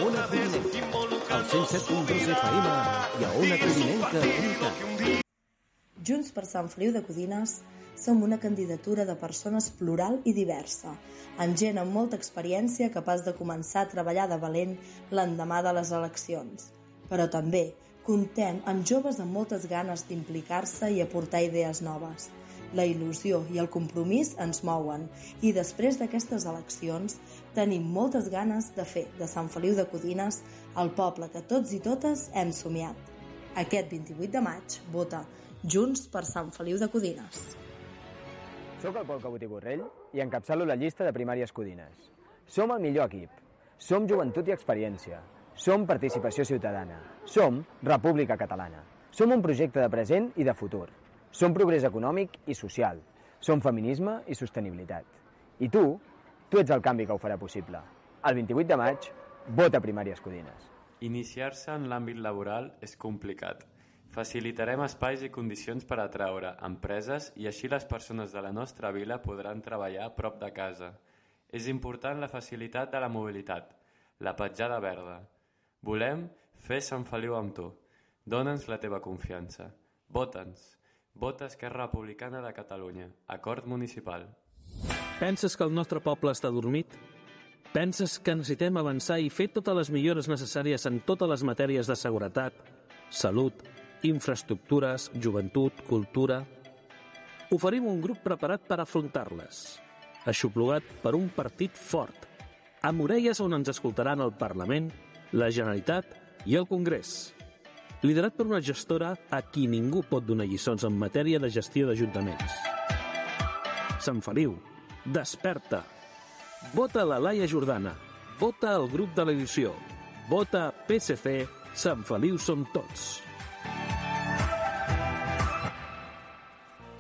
Ona Codinenca, al 107.2 FM i a onacodinenca.cat. Junts per Sant Feliu de Codines som una candidatura de persones plural i diversa, amb gent amb molta experiència capaç de començar a treballar de valent l'endemà de les eleccions. Però també comptem amb joves amb moltes ganes d'implicar-se i aportar idees noves. La il·lusió i el compromís ens mouen i després d'aquestes eleccions tenim moltes ganes de fer de Sant Feliu de Codines el poble que tots i totes hem somiat. Aquest 28 de maig vota Junts per Sant Feliu de Codines. Soc el Pol Cabot i Borrell i encapçalo la llista de primàries Codines. Som el millor equip. Som joventut i experiència. Som participació ciutadana. Som República Catalana. Som un projecte de present i de futur. Som progrés econòmic i social. Som feminisme i sostenibilitat. I tu ets el canvi que ho farà possible. El 28 de maig, vota primàries Codines. Iniciar-se en l'àmbit laboral és complicat. Facilitarem espais i condicions per atraure empreses i així les persones de la nostra vila podran treballar a prop de casa. És important la facilitat de la mobilitat, la petjada verda. Volem fer Sant Feliu amb tu. Dóna'ns la teva confiança. Vota'ns. Vota Esquerra Republicana de Catalunya. Acord municipal. Penses que el nostre poble està dormit? Penses que necessitem avançar i fer totes les millores necessàries en totes les matèries de seguretat, salut, infraestructures, joventut, cultura? Oferim un grup preparat per afrontar-les, aixoplugat per un partit fort, amb orelles on ens escoltaran el Parlament, la Generalitat i el Congrés. Liderat per una gestora a qui ningú pot donar lliçons en matèria de gestió d'ajuntaments. Sant Feliu, desperta! Vota la Laia Jordana, vota el grup de l'edició, vota PSC, Sant Feliu som tots.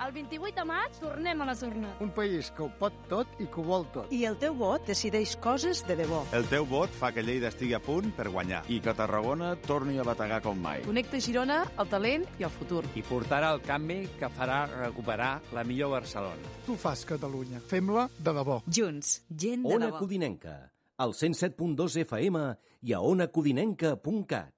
El 28 de maig tornem a les urnes. Un país que ho pot tot i que ho vol tot. I el teu vot decideix coses de debò. El teu vot fa que Lleida estigui a punt per guanyar. I que Tarragona torni a bategar com mai. Connecta Girona, el talent i el futur. I portarà el canvi que farà recuperar la millor Barcelona. Tu fas Catalunya. Fem-la de debò. Junts, gent de debò. Ona Codinenca, al 107.2 FM i a onacodinenca.cat.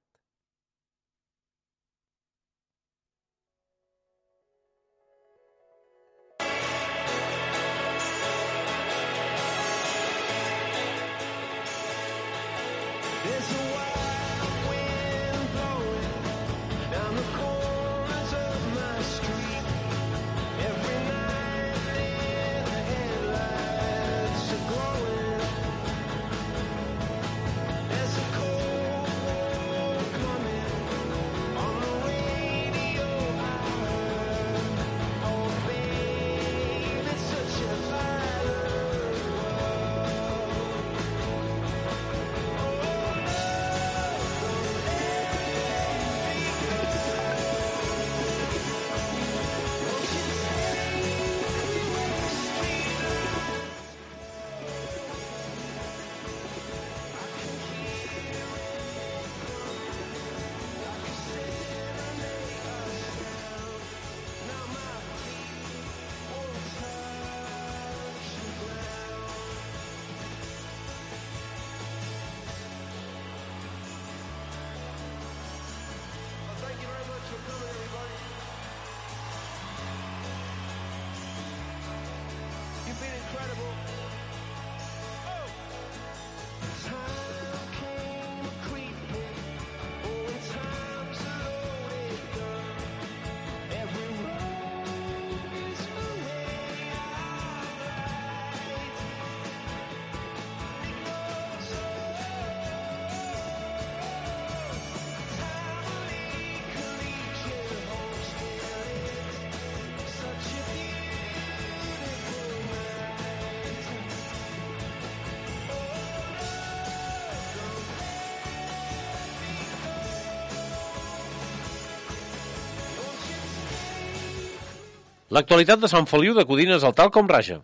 L'actualitat de Sant Feliu de Codines al tal com raja.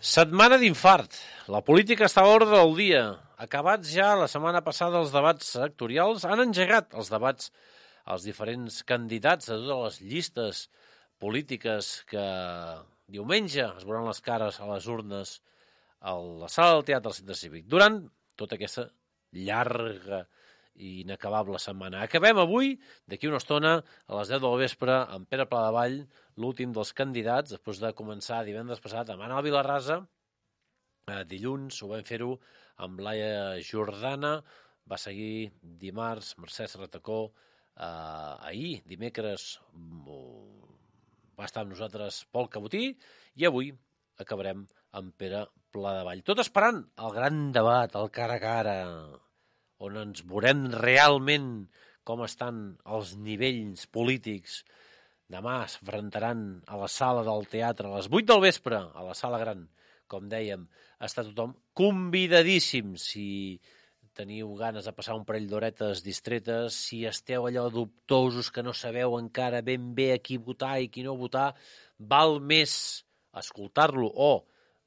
Setmana d'infart. La política està a l'ordre del dia. Acabats ja la setmana passada els debats sectorials, han engegat els debats als diferents candidats de totes les llistes polítiques que diumenge es veuran les cares a les urnes a la sala del Teatre del Centre Cívic. Durant tota aquesta llarga i inacabable setmana. Acabem avui, d'aquí una estona, a les 10 del vespre, amb Pere Pladevall, l'últim dels candidats, després de començar divendres passat amb Anna Vilarrasa. Dilluns ho vam fer-ho amb Laia Jordana, va seguir dimarts Mercè Serratacó, ahir, dimecres, va estar amb nosaltres Pol Cabotí, i avui acabarem amb Pere Pladevall. Tot esperant el gran debat, el cara a cara, on ens veurem realment com estan els nivells polítics. Demà es enfrontaran a la sala del teatre a les 8 del vespre, a la sala gran. Com dèiem, està tothom convidadíssim. Si teniu ganes de passar un parell d'horetes distretes, si esteu allò dubtosos que no sabeu encara ben bé a qui votar i qui no votar, val més escoltar-lo o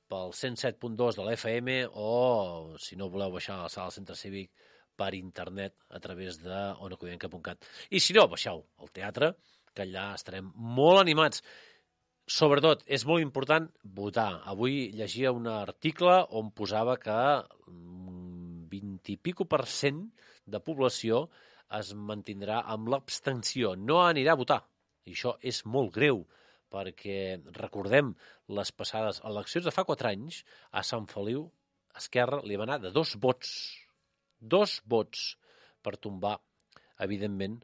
pel 107.2 de l'FM o, si no voleu baixar a la sala del Centre Cívic, per internet a través de onacodinenca.cat. I si no, baixeu al teatre, que allà estarem molt animats. Sobretot, és molt important votar. Avui llegia un article on posava que 20 i pico% de població es mantindrà amb l'abstenció. No anirà a votar. I això és molt greu, perquè recordem les passades eleccions de fa 4 anys, a Sant Feliu, Esquerra li va anar de 2 vots. 2 vots per tombar, evidentment,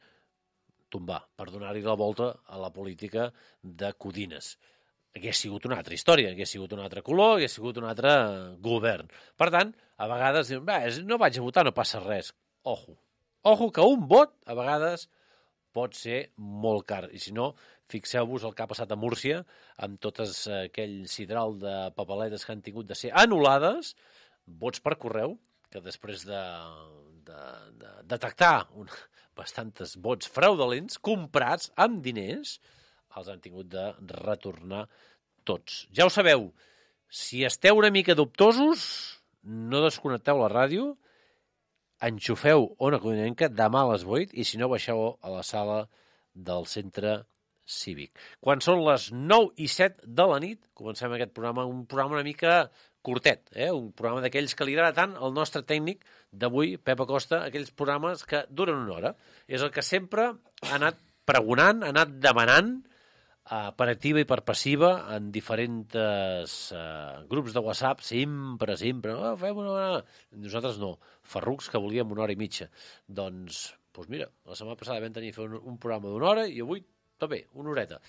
per donar-hi la volta a la política de Codines. Hagués sigut una altra història, hagués sigut un altre color, hagués sigut un altre govern. Per tant, a vegades diuen, no vaig a votar, no passa res. Ojo. Ojo que un vot, a vegades, pot ser molt car. I si no, fixeu-vos el que ha passat a Múrcia, amb totes aquell sidral de papeletes que han tingut de ser anul·lades, vots per correu, que després de detectar bastantes vots fraudulents, comprats amb diners, els han tingut de retornar tots. Ja ho sabeu, si esteu una mica dubtosos, no desconnecteu la ràdio, enxufeu Ona Codinenca demà a les 8 i si no baixeu a la sala del Centre Cívic. Quan són les 9:07 de la nit, comencem aquest programa, un programa una mica curtet, un programa d'aquells que li agrada tant al nostre tècnic d'avui, Pep Acosta, aquells programes que duren una hora. És el que sempre ha anat pregonant, ha anat demanant per activa i per passiva en diferents grups de WhatsApp, sempre, fem una hora. Nosaltres no, ferrucs que volíem 1 hora i mitja. Doncs mira, la setmana passada vam tenir fer un programa d'1 hora i avui també, 1 horeta.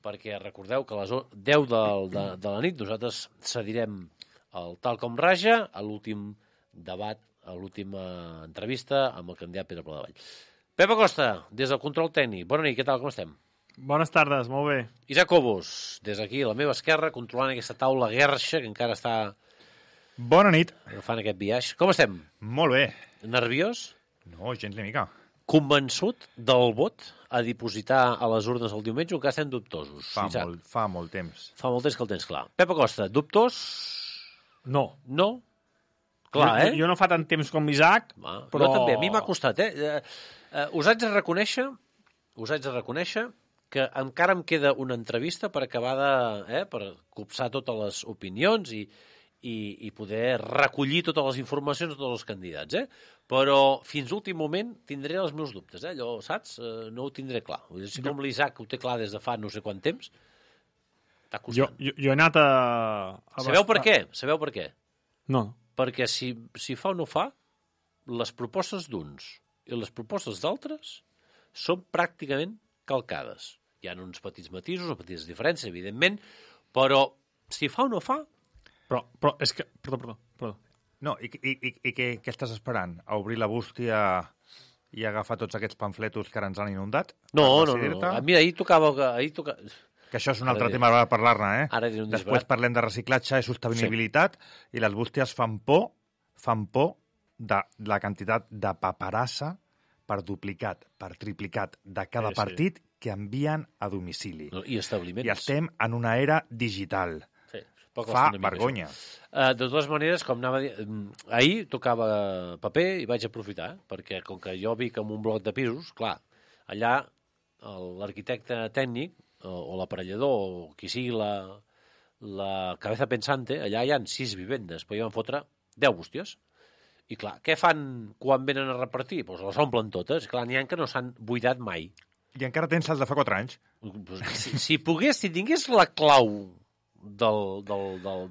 Perquè recordeu que a les 10 de la nit nosaltres cedirem el Tal Com Raja a l'últim debat, a l'última entrevista amb el candidat Pere Pladevall. Pep Acosta, des del control tècnic. Bona nit, què tal, com estem? Bones tardes, molt bé. Isaac Cobos, des d'aquí, a la meva esquerra, controlant aquesta taula guerxa que encara està... Bona nit. Fan aquest viatge. Com estem? Molt bé. Nerviós? No, gens ni mica. Convençut del vot a dipositar a les urnes el diumenge o que estem dubtosos? Fa molt temps. Fa molt temps que el tens clar. Pep Acosta, dubtós? No. No? Clar, Jo no fa tant temps com Isaac, però... Jo també, a mi m'ha costat, Us haig de reconèixer que encara em queda una entrevista per acabar per copsar totes les opinions i poder recollir totes les informacions de tots els candidats, Però fins a l'últim moment tindré els meus dubtes, Allò, saps? No ho tindré clar. Si com l'Isaac ho té clar des de fa no sé quant temps, està costant. Jo he anat a... Sabeu per què? No. Perquè si fa o no fa, les propostes d'uns i les propostes d'altres són pràcticament calcades. Hi ha uns petits matisos, unes petites diferències, evidentment, però si fa o no fa... Però és que... Perdó. No, i què estàs esperant? A obrir la bústia i agafar tots aquests pamfletos que ara ens han inundat? No. Mira, ahir tocava... Que això és un altre tema per parlar-ne, Ara Després parlem de reciclatge i sostenibilitat i les bústies fan por de la quantitat de paperassa per duplicat, per triplicat de cada partit que envien a domicili. I establiments. I estem en una era digital. Sí. Fa vergonya. De totes maneres, com anava a dir, ahir tocava paper i vaig aprofitar, perquè com que jo vic en un bloc de pisos, clar, allà l'arquitecte tècnic o l'aparellador o qui sigui la cabeza pensante, allà hi ha 6 vivendes, però hi van fotre 10 bústies. I clar, què fan quan venen a repartir? Doncs les omplen totes. Clar, n'hi ha que no s'han buidat mai. I encara tens els de fa 4 anys. Si tingués la clau de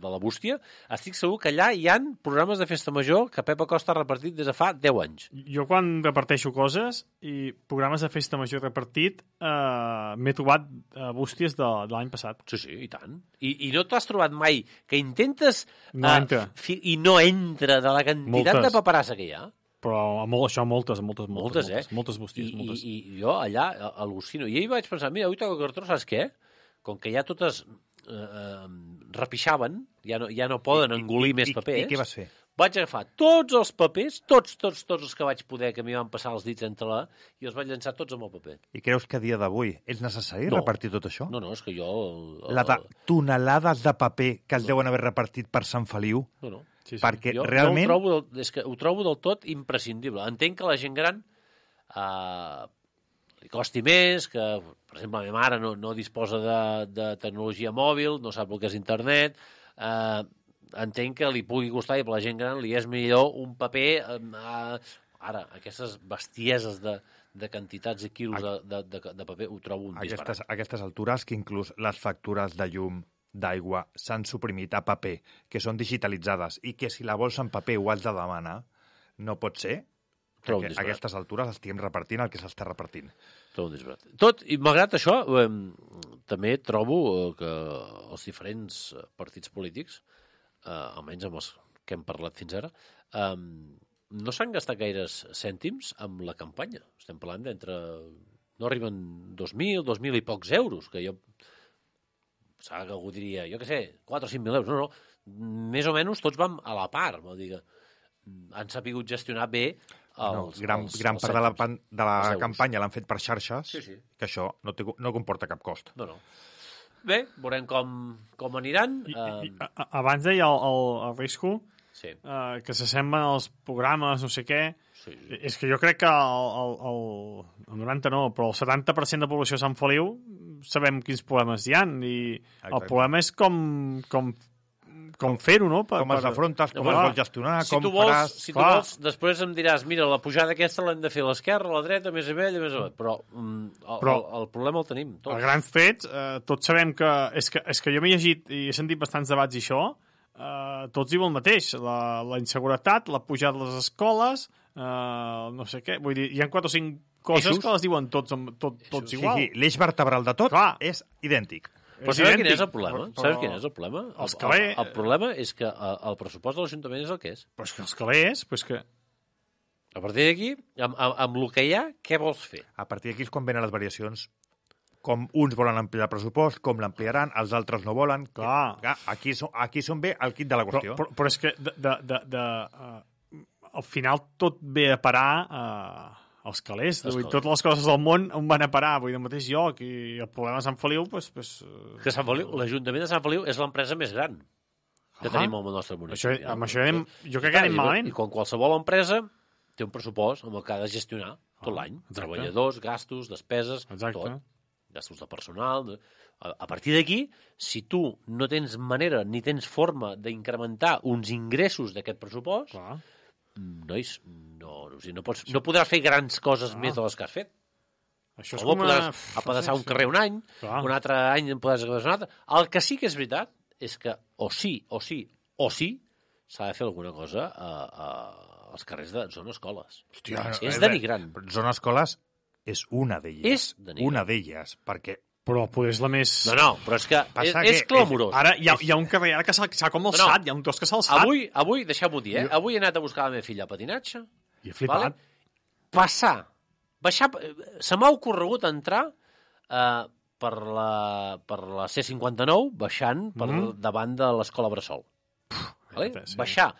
la bústia, estic segur que allà hi ha programes de festa major que Pep Acosta ha repartit des de fa 10 anys. Jo quan reparteixo coses i programes de festa major repartit m'he trobat bústies de l'any passat. Sí, i tant. I no t'has trobat mai que intentes no entra. I no entra de la quantitat de paperassa que hi ha? Però això moltes bústies. I jo allà al·lucino. I ahir vaig pensar, mira, avui toca cartró, saps què? Com que ja totes repixaven, ja no poden engolir més paper. I què vas fer? Vaig agafar tots els papers, tots els que vaig poder, que m'hi van passar els dits entre i els vaig llançar tots amb el paper. I creus que a dia d'avui és necessari repartir tot això? No, és que jo... Tonelades de paper que es deuen haver repartit per Sant Feliu? No. Sí. Perquè realment... ho trobo del tot imprescindible. Entenc que la gent gran li costi més, que, per exemple, la meva mare no disposa de tecnologia mòbil, no sap el que és internet, entenc que li pugui costar i per la gent gran li és millor un paper... Ara, aquestes bestieses de quantitats i quilos de paper ho trobo un disbarat. A aquestes altures que inclús les factures de llum, d'aigua, s'han suprimit a paper, que són digitalitzades, i que si la vols en paper ho has de demanar, no pot ser que a aquestes altures estiguem repartint el que s'està repartint. Tot, i malgrat això, també trobo que els diferents partits polítics, almenys amb els que hem parlat fins ara, no s'han gastat gaires cèntims amb la campanya. Estem parlant d'entre... No arriben 2.000 i pocs euros, que jo... Saps que algú diria, jo què sé, 4 o 5.000 euros. No. Més o menys tots vam a la part, vol dir que han sapigut gestionar bé gran part de la campanya l'han fet per xarxes, que això no comporta cap cost. No. Bé, veurem com aniran. Abans deia el Risco que s'assemblen els programes, no sé què. És que jo crec que el 90 no, però el 70% de població de Sant Feliu sabem quins problemes hi ha, i el problema és com fer-ho, no? Com els afrontes, com els vols gestionar, com faràs... Si tu vols, després em diràs, mira, la pujada aquesta l'hem de fer a l'esquerra, a la dreta, més avall, més avall. Però el problema el tenim tots. A grans trets, tots sabem que... És que jo m'he llegit i he sentit bastants debats i això, tots diuen el mateix. La inseguretat, la pujada de les escoles, no sé què... Vull dir, hi ha 4 o 5 coses que les diuen tots igual. Sí, l'eix vertebral de tot és idèntic. Però sabeu quin és el problema? Sabeu quin és el problema? El problema és que el pressupost de l'Ajuntament és el que és. Però és que els calés... A partir d'aquí, amb el que hi ha, què vols fer? A partir d'aquí és quan venen les variacions. Com uns volen ampliar el pressupost, com l'ampliaran, els altres no volen. Aquí són bé el quid de la qüestió. Però és que al final tot ve a parar... Els calés. Totes les coses del món on van a parar, vull dir, al mateix lloc, i el problema de Sant Feliu... Que Sant Feliu, l'Ajuntament de Sant Feliu és l'empresa més gran que tenim al nostre municipi. Amb això jo crec que anem malament. I com qualsevol empresa té un pressupost amb el que ha de gestionar tot l'any. Treballadors, gastos, despeses, tot. Gastos de personal... A partir d'aquí, si tu no tens manera ni tens forma d'incrementar uns ingressos d'aquest pressupost... Nois, no podràs fer grans coses més de les que has fet. Això és com podràs apedaçar un carrer un any, un altre any en podràs apedaçar un altre. El que sí que és veritat és que o sí s'ha de fer alguna cosa als carrers de zona escoles. Hòstia, és denigrant. Zona escoles és una d'elles. És denigrant. Una d'elles, perquè... Però potser és la més... No, però és que és clamorós. Ara hi ha un carrer que s'ha com alçat, hi ha un tros que s'ha alçat. Avui, deixeu-m'ho dir, avui he anat a buscar la meva filla a patinatge. I he flipat. Baixar. Se m'ha ocorregut entrar per la C-59, baixant per davant de l'escola Bressol. Baixar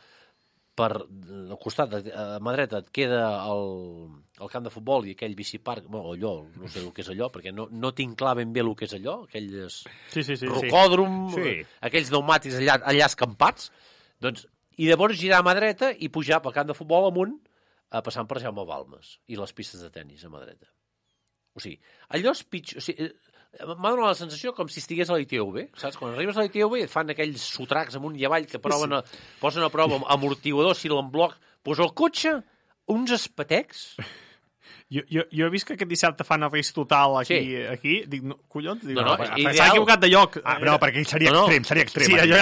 al costat, a mà dreta, et queda el camp de futbol i aquell biciparc, allò, no sé el que és allò, perquè no tinc clar ben bé el que és allò, aquells rocòdrom, aquells pneumàtics allà escampats, doncs, i llavors girar a mà dreta i pujar pel camp de futbol amunt, passant per Jaume Balmes i les pistes de tennis a mà dreta. O sigui, allò és pitjor... O sigui, m'ha donat la sensació com si estigués a l'ITV, saps? Quan arribes a l'ITV et fan aquells sotracs amunt i avall que posen a prova amortiguadors, fil en bloc, posa el cotxe, uns espatecs... Jo he vist que aquest dissabte fan el risc total aquí. Dic, collons, s'ha equivocat de lloc. No, perquè ell seria extrem. Sí, allò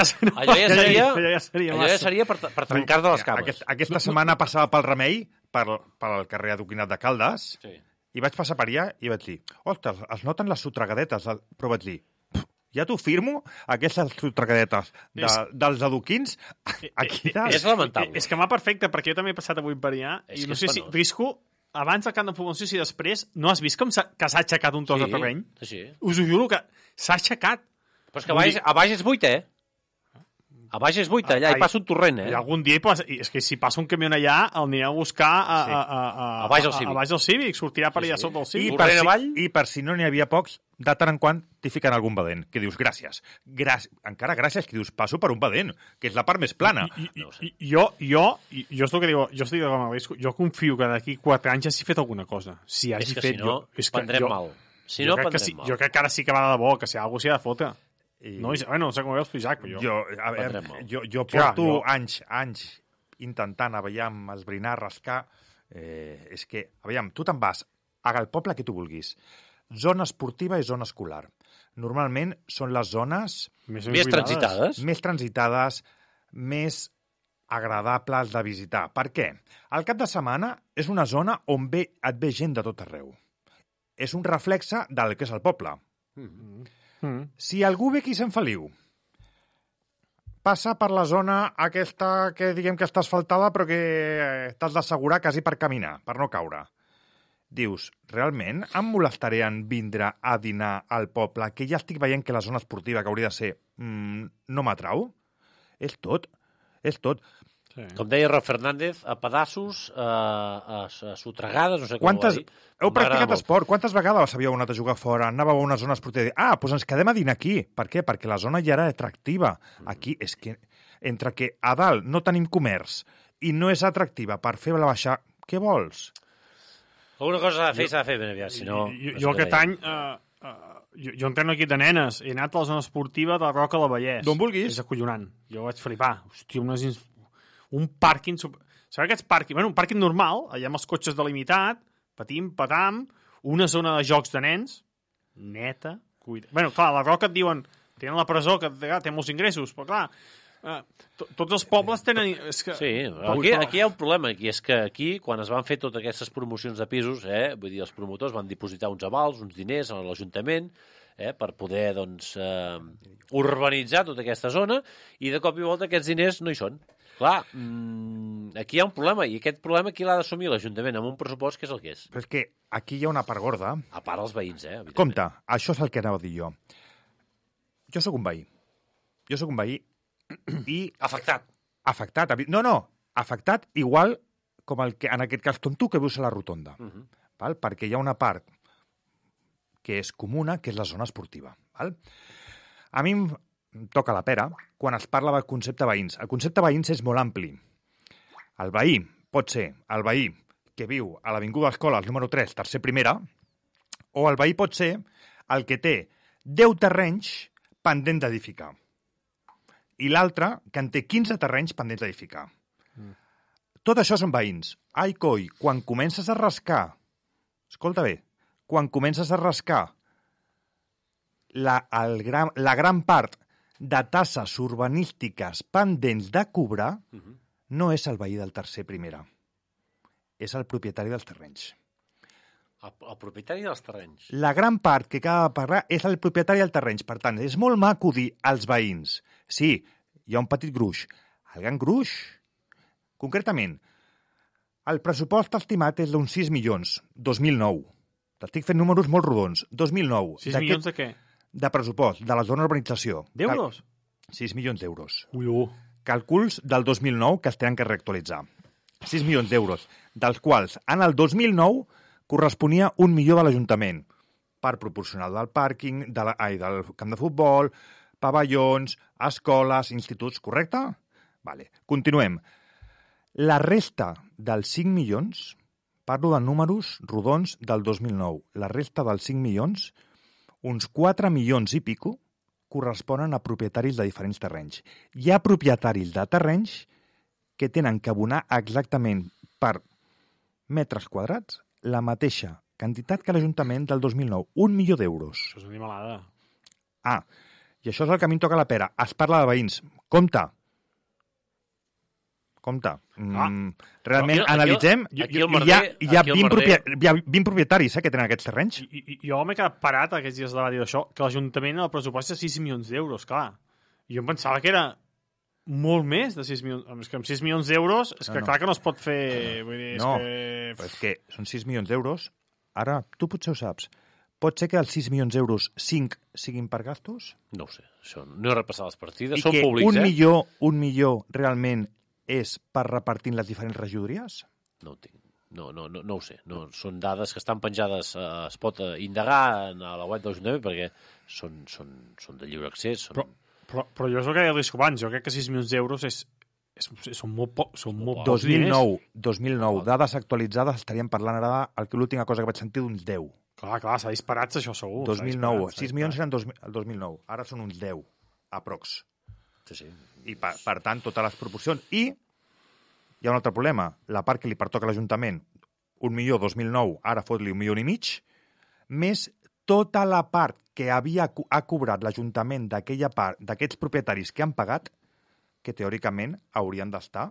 ja seria per trencar de les cames. Aquesta setmana passava pel Remei, pel carrer Adoquinat de Caldes, i vaig passar per allà i vaig dir, ostres, es noten les sotragadetes, però vaig dir, ja t'ho firmo, aquestes sotragadetes dels adoquins, aquí dalt. És lamentable. És que m'ha perfecte, perquè jo també he passat avui per allà, i no sé si risco, abans del camp de futbol, si després, no has vist que s'ha aixecat un tros de terreny? Sí. Us ho juro que s'ha aixecat. Però és que a baix és buit, A baix és buit, allà hi passa un torrent, I algun dia, és que si passa un camió allà, el anireu a buscar a baix del Cívic, sortirà per allà sota del Cívic. I per si no n'hi havia pocs, de tant en quant t'hi fiquen algun badent, que dius gràcies. Encara gràcies, que dius passo per un badent, que és la part més plana. Jo és el que diu, jo confio que d'aquí 4 anys hagi fet alguna cosa. Si hagi fet... És que prendrem mal. Jo crec que ara sí que va de debò, que si algú s'hi ha de fotre. No sé com ho veus tu, Isaac, però jo porto anys intentant, esbrinar, rascar. És que, tu te'n vas al poble que tu vulguis. Zona esportiva i zona escolar. Normalment són les zones... Més transitades. Més transitades, més agradables de visitar. Per què? Al cap de setmana és una zona on et ve gent de tot arreu. És un reflexe del que és el poble. Si algú ve aquí a Sant Feliu, passa per la zona aquesta que diguem que està asfaltada però que t'has d'assegurar quasi per caminar, per no caure. Dius, realment em molestaré en vindre a dinar al poble, que ja estic veient que la zona esportiva que hauria de ser no m'atrau? És tot. Sí. Com deia Rob Fernández, a pedassos, a sotregades, no sé com ho va dir. Heu practicat esport? Quantes vegades havíeu anat a jugar fora? Anàveu a una zona esportiva i doncs ens quedem a dinar aquí. Per què? Perquè la zona ja era atractiva. Aquí és que, entre que a dalt no tenim comerç i no és atractiva per fer la baixar, què vols? Alguna cosa s'ha de fer ben aviat, si no... Jo aquest any... Jo entreno aquí de nenes. He anat a la zona esportiva de la Roca del Vallès. D'on vulguis. És acollonant. Jo vaig flipar. Hòstia, un pàrquing... Sabeu aquests pàrquing? Bueno, un pàrquing normal, allà amb els cotxes delimitat, patim, patam, una zona de jocs de nens, neta, cuida... Bueno, clar, a la Roca et diuen, tenen la presó, que té molts ingressos, però clar, tots els pobles tenen... Sí, aquí hi ha un problema, i és que aquí, quan es van fer totes aquestes promocions de pisos, vull dir, els promotors van dipositar uns avals, uns diners a l'Ajuntament, per poder, doncs, urbanitzar tota aquesta zona, i de cop i volta aquests diners no hi són. Clar, aquí hi ha un problema, i aquest problema qui l'ha d'assumir? L'Ajuntament, amb un pressupost que és el que és. Però és que aquí hi ha una part gorda. A part els veïns, Compte, això és el que anava a dir jo. Jo sóc un veí. I... Afectat. Afectat igual com en aquest cas com tu, que vius a la Rotonda. Val? Perquè hi ha una part que és comuna, que és la zona esportiva. Val? A mi em toca la pera quan es parla del concepte veïns. El concepte veïns és molt ampli. El veí pot ser el veí que viu a l'Avinguda Escoles número 3, tercer primera, o el veí pot ser el que té 10 terrenys pendent d'edificar. I l'altre que en té 15 terrenys pendents d'edificar. Tot això són veïns. Ai, coi, quan comences a rascar, escolta bé, quan comences a rascar la gran part de tasses urbanístiques pendents de cobrar, no és el veí del tercer primera. És el propietari dels terrenys. El propietari dels terrenys. La gran part que acaba de parlar és el propietari dels terrenys. Per tant, és molt maco dir als veïns. Sí, hi ha un petit gruix. El gran gruix, concretament, el pressupost estimat és d'uns 6 milions, 2009. T'estic fent números molt rodons. 2009. 6 milions de què? De pressupost, de la zona d'urbanització. D'euros? 6 milions d'euros. Ui, Càlculs del 2009 que es tenen que reactualitzar. 6 milions d'euros, dels quals en el 2009 corresponia 1 milió de l'Ajuntament per proporcionar del pàrquing, del camp de futbol, pavellons, escoles, instituts, correcte? Vale. Continuem. La resta dels 5 milions, parlo de números rodons del 2009, la resta dels 5 milions, uns 4 milions i pico, corresponen a propietaris de diferents terrenys. Hi ha propietaris de terrenys que tenen que abonar exactament per metres quadrats la mateixa quantitat que l'Ajuntament del 2009, 1 milió d'euros. Això és una animalada. I això és el que a mi em toca la pera. Es parla de veïns. Compte. Realment analitzem. Hi ha 20 propietaris que tenen aquests terrenys. Jo m'he quedat parat aquests dies de dir això, que l'Ajuntament el pressupost és 6 milions d'euros, clar. I jo em pensava que era molt més de 6 milions. És que amb 6 milions d'euros és que clar que no es pot fer... No, però és que són 6 milions d'euros. Ara, tu potser ho saps. Pot ser que els 6 milions d'euros 5 siguin per gastos? No ho sé. Això no he repassat les partides. Són públics, un milió realment és per repartir les diferents regidories? No ho tinc. No ho sé. No, són dades que estan penjades, es pot indagar a la web de l'Ajuntament perquè són de lliure accés. Però jo és el que he dit abans. Jo crec que 6 milions d'euros són molt pocs. 2009, dades actualitzades, estaríem parlant ara l'última cosa que vaig sentir d'uns 10. Clar, s'ha disparat això segur. 2009, 6 milions eren el 2009, ara són uns 10, aprox. Sí. I per tant, totes les proporcions. I hi ha un altre problema, la part que li pertoca a l'Ajuntament, 1 milió 2009, ara fot-li 1,5 milions, més tota la part que ha cobrat l'Ajuntament d'aquella part, d'aquests propietaris que han pagat, que teòricament haurien d'estar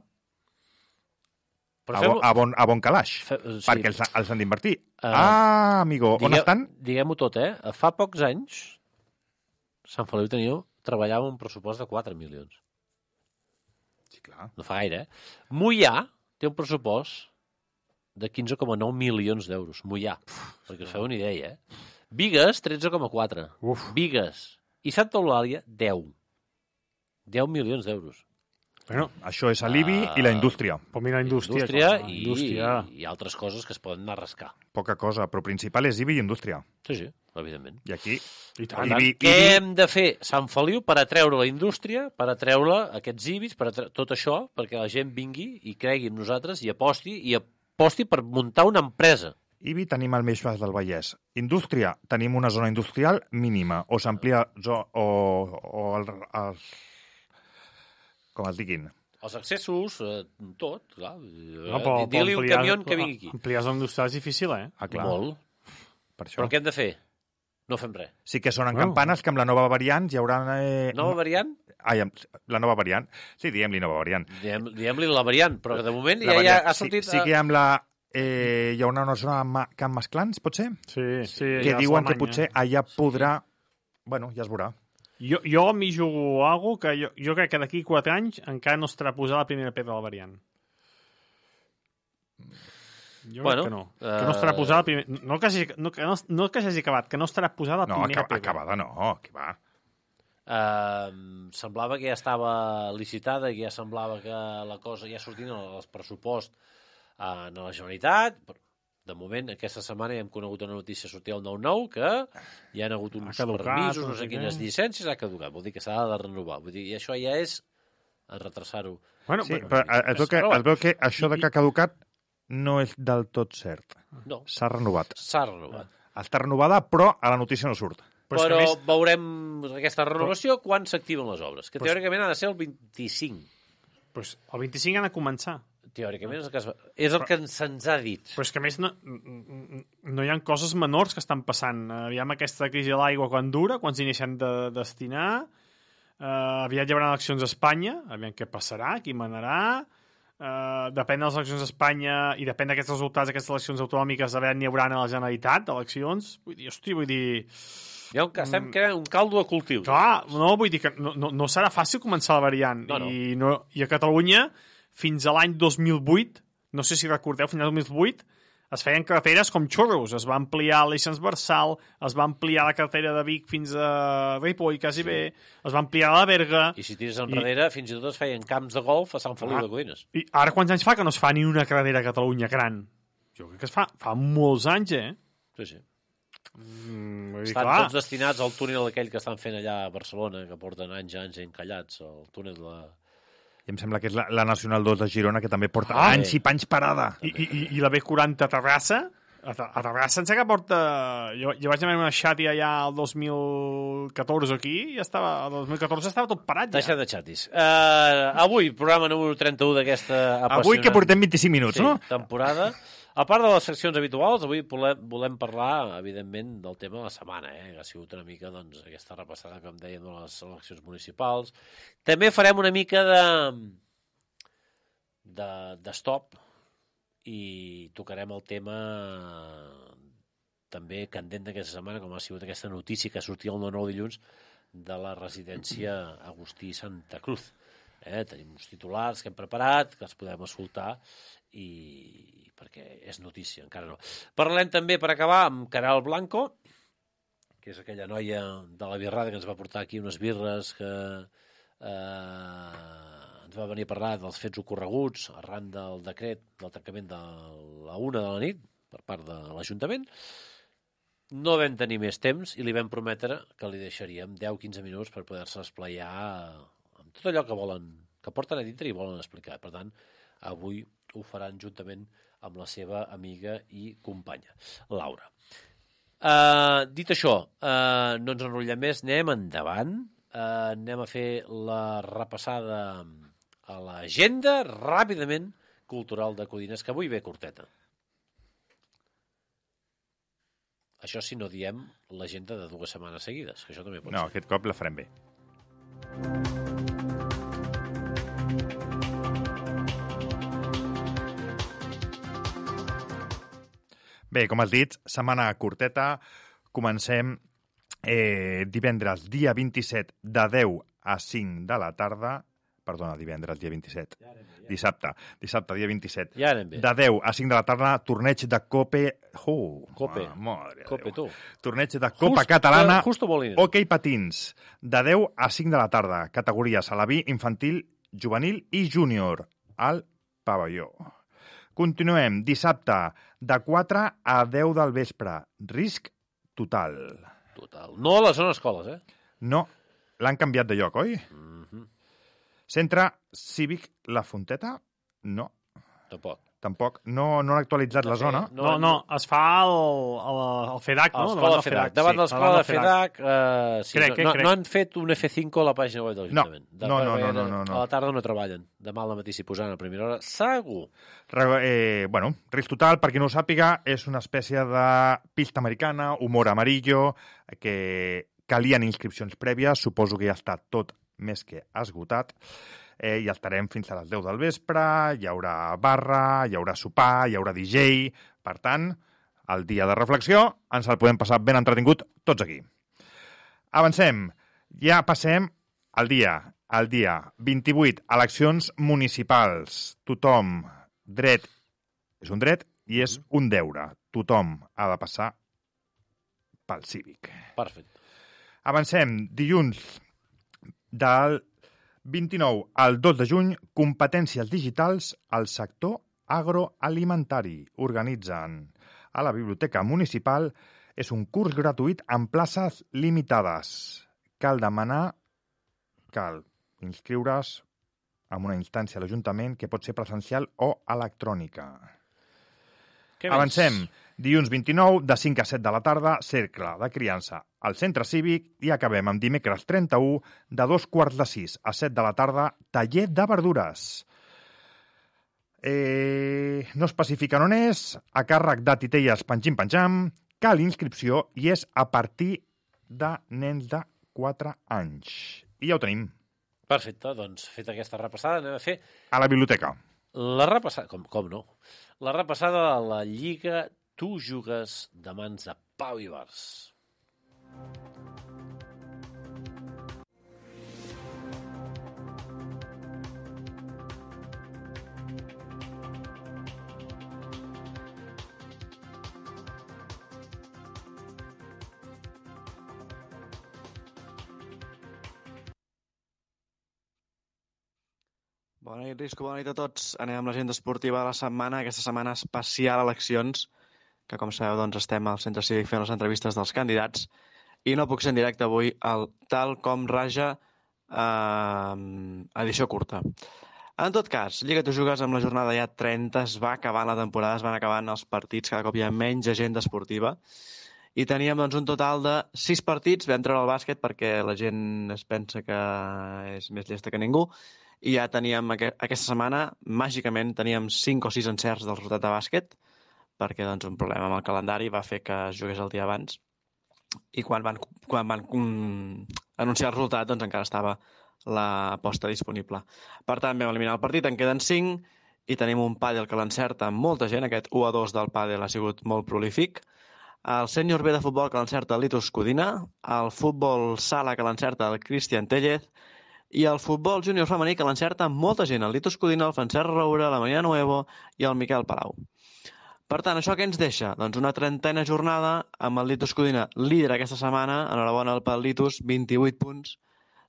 a bon calaix, perquè els han d'invertir. Amigo, on estan? Diguem-ho tot, Fa pocs anys, Sant Feliu treballava un pressupost de 4 milions. Sí, clar. No fa gaire, Moià té un pressupost de 15,9 milions d'euros. Moià, perquè us feu una idea, Bigues, 13,4. Bigues. I Santa Eulàlia, 10. 10 milions d'euros. Bueno, això és l'IBI i la indústria. Però mira, indústria i altres coses que es poden anar a rascar. Poca cosa, però principal és IBI i indústria. Sí, evidentment. I aquí... Què hem de fer, Sant Feliu, per atreure la indústria, per atreure aquests IBIs, tot això, perquè la gent vingui i cregui en nosaltres i aposti per muntar una empresa. IBI tenim al Baix del Vallès. Indústria, tenim una zona industrial mínima, o s'amplia com es diguin. Els accessos, tot, clar. Digue-li un camió que vingui aquí. Ampliar zona industrial és difícil, clar. Molt. Però què hem de fer? No fem res. Sí que sonen campanes que amb la nova variant hi haurà... Nova variant? La nova variant. Sí, diguem-li nova variant. Diguem-li la variant, però de moment ja ha sortit... Sí que amb la... hi haurà una zona amb Camp Masclans, pot ser? Sí. Que diuen que potser allà podrà... Bueno, ja es veurà. Jo m'hi jugo alguna cosa que jo crec que d'aquí 4 anys encara no estarà posada la primera pedra de la variant. Jo crec que no. Que no estarà posada la primera... No que s'hagi acabat, que no estarà posada la primera pedra. No, acabada no, que va. Semblava que ja estava licitada, que ja semblava que la cosa ja sortint als pressupost a la Generalitat. De moment, aquesta setmana ja hem conegut una notícia sortir al 9-9 que hi ha hagut uns permisos, no sé quines llicències, ha caducat. Vol dir que s'ha de renovar. Vull dir, i això ja és retrasar-ho. Bueno, sí, però es veu que això de que ha caducat no és del tot cert. No. S'ha renovat. Està renovada, però a la notícia no surt. Però veurem aquesta renovació quan s'activen les obres, que teòricament ha de ser el 25. Pues el 25 han de començar. Teòricament és el que se'ns ha dit. Però és que a més no hi ha coses menors que estan passant. Aviam aquesta crisi de l'aigua quan dura, quan s'inician de destinar, aviat hi haurà eleccions a Espanya, aviam què passarà, qui manarà, depèn de les eleccions a Espanya i depèn d'aquests resultats d'aquestes eleccions autonòmiques, aviat n'hi haurà a la Generalitat d'eleccions. Vull dir... Estem creant un caldo de cultiu. Clar, no, vull dir que no serà fàcil començar la variant. I a Catalunya, fins a l'any 2008, no sé si recordeu, fins al 2008, es feien carreteres com xurros. Es va ampliar l'Eix transversal, es va ampliar la carretera de Vic fins a Ripoll, quasi bé, es va ampliar la Berga... I si tires enrere, fins i tot es feien camps de golf a Sant Feliu de Codines. I ara quants anys fa que no es fa ni una carretera a Catalunya gran? Jo crec que es fa molts anys, Sí. Estan tots destinats al túnel aquell que estan fent allà a Barcelona, que porten anys encallats, el túnel de la... I em sembla que és la Nacional 2 de Girona, que també porta anys i panys parada. I la B40 a Terrassa? A Terrassa em sembla que porta... Jo vaig anar a una xati allà el 2014 aquí i el 2014 estava tot parat ja. Deixa de xatis. Avui, programa número 31 d'aquesta apassionant... Avui que portem 25 minuts, no? Temporada. A part de les seccions habituals, avui volem parlar, evidentment, del tema de la setmana, que ha sigut una mica aquesta repassada, com dèiem, de les eleccions municipals. També farem una mica de stop i tocarem el tema també candent d'aquesta setmana, com ha sigut aquesta notícia que sortia el 9 dilluns de la residència Agustí Santa Cruz. Tenim uns titulars que hem preparat, que els podem escoltar, i perquè és notícia, encara no. Parlem també, per acabar, amb Caral Blanco, que és aquella noia de la birrada que ens va portar aquí unes birres, que ens va venir a parlar dels fets ocorreguts arran del decret del tancament de la 1 de la nit per part de l'Ajuntament. No vam tenir més temps i li vam prometre que li deixaríem 10-15 minuts per poder-se esplaiar amb tot allò que volen, que porten a dintre i volen explicar. Per tant, avui ho faran juntament amb la seva amiga i companya, Laura. Dit això, no ens enrotllem més, anem endavant, anem a fer la repassada a l'agenda ràpidament cultural de Codines, que avui ve curteta. Això si no diem l'agenda de 2 setmanes seguides, que això també pot ser. No, aquest cop la farem bé. Bé, com has dit, setmana curteta. Comencem divendres, dia 27, de 10 a 5 de la tarda. Perdona, divendres, dia 27. Dissabte, dia 27. De 10 a 5 de la tarda, torneig de Cope... Cope, tu. Torneig de Copa Catalana, hoquei patins. De 10 a 5 de la tarda, categories alaví, infantil, juvenil i júnior, al pavelló. Continuem, dissabte, de 4 a 10 del vespre. Risc total. No a les zones escoles, No, l'han canviat de lloc, oi? Centre Cívic La Fonteta? No. Tampoc. No han actualitzat la zona. No, es fa el FEDAC, no? L'escola FEDAC. Davant de l'escola de FEDAC, no han fet un F5 a la pàgina web de l'Ajuntament. No. A la tarda no treballen. Demà al matí s'hi posaran a primera hora. Segur. Risc total, per qui no ho sàpiga, és una espècie de pista americana, humor amarillo, que calien inscripcions prèvies. Suposo que ja està tot més que esgotat. I estarem fins a les 10 del vespre, hi haurà barra, hi haurà sopar, hi haurà DJ. Per tant, el dia de reflexió ens el podem passar ben entretingut tots aquí. Avancem. Ja passem al dia 28, eleccions municipals. Tothom, dret, és un dret i és un deure. Tothom ha de passar pel cívic. Perfecte. Avancem. Dilluns del 29 al 2 de juny, competències digitals al sector agroalimentari. Organitzen a la Biblioteca Municipal. És un curs gratuït amb places limitades. Cal inscriure's en una instància a l'Ajuntament que pot ser presencial o electrònica. Avancem. Dilluns 29, de 5 a 7 de la tarda, cercle de criança al centre cívic i acabem amb dimecres 31, de 2:45 a 7 de la tarda, taller de verdures. No especifiquen on és, a càrrec de titelles panxim-panxam, cal inscripció i és a partir de nens de 4 anys. I ja ho tenim. Perfecte, doncs feta aquesta repassada anem a fer... A la biblioteca. La repassada, com no? La repassada de la Lliga Tu jugues de mans de Pau Ibars. Bona nit, Risco, bona nit a tots. Anem amb l'agenda esportiva de la setmana, aquesta setmana especial eleccions, que com sabeu doncs estem al Centre Cívic fent les entrevistes dels candidats, i no puc ser en directe avui el Tal Com Raja edició curta. En tot cas, Lliga Tu Jugues amb la jornada ja 30, es va acabant la temporada, es van acabant els partits, cada cop hi ha menys agenda esportiva, i teníem doncs un total de 6 partits, vam treure el bàsquet perquè la gent es pensa que és més llesta que ningú, i ja teníem aquesta setmana, màgicament, teníem 5 o 6 encerts del resultat de bàsquet, perquè doncs, un problema amb el calendari va fer que es jugués el dia abans, i quan van anunciar el resultat doncs encara estava l'aposta disponible. Per tant, vam eliminar el partit, en queden 5, i tenim un pàdel que l'encerta amb molta gent, aquest 1-2 del pàdel ha sigut molt prolífic, el sènior B de futbol que l'encerta el Litus Codina, el futbol sala que l'encerta el Cristian Tellez, i el futbol júnior femení que l'encerta molta gent, el Litus Codina, el Francesc Roura, la Maria Nuevo i el Miquel Palau. Per tant, això què ens deixa? Doncs una 30a jornada amb el Litus Codina líder aquesta setmana, enhorabona pel Litus, 28 punts,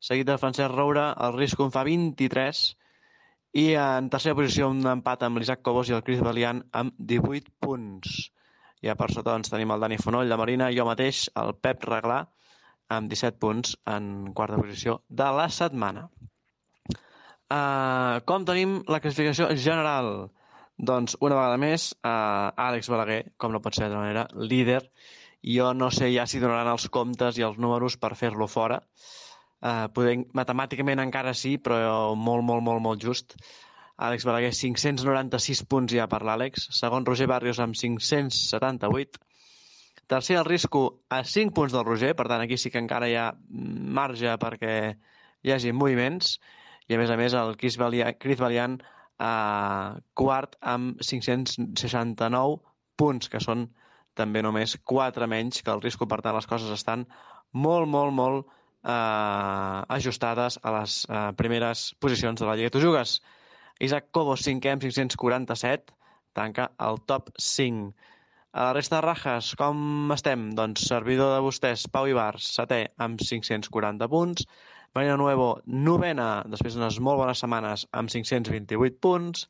seguit del Francesc Roura, el Risco en fa 23, i en tercera posició un empat amb l'Isaac Cobos i el Cris Balian amb 18 punts. Ja per sota doncs, tenim el Dani Fonoll, la Marina, jo mateix, el Pep Reglà, amb 17 punts en quarta posició de la setmana. Com tenim la classificació general? Doncs, una vegada més, Àlex Balaguer, com no pot ser d'altra manera, líder. Jo no sé ja si donaran els comptes i els números per fer-lo fora. Matemàticament encara sí, però molt just. Àlex Balaguer, 596 punts ja per l'Àlex. Segon, Roger Barrios, amb 578. Tercer, el Risco, a 5 punts del Roger. Per tant, aquí sí que encara hi ha marge perquè hi hagi moviments. I, a més, el Cris Balian, quart, amb 569 punts, que són també només 4 menys que el Risco. Per tant, les coses estan molt ajustades a les primeres posicions de la Lliga Tu Jugues. Isaac Cobos, 5è amb 547, tanca el top 5. A la resta de rajes, com estem? Doncs servidor de vostès, Pau Ibars, 7è amb 540 punts, Marina Nuevo, 9a, després d'unes molt bones setmanes, amb 528 punts,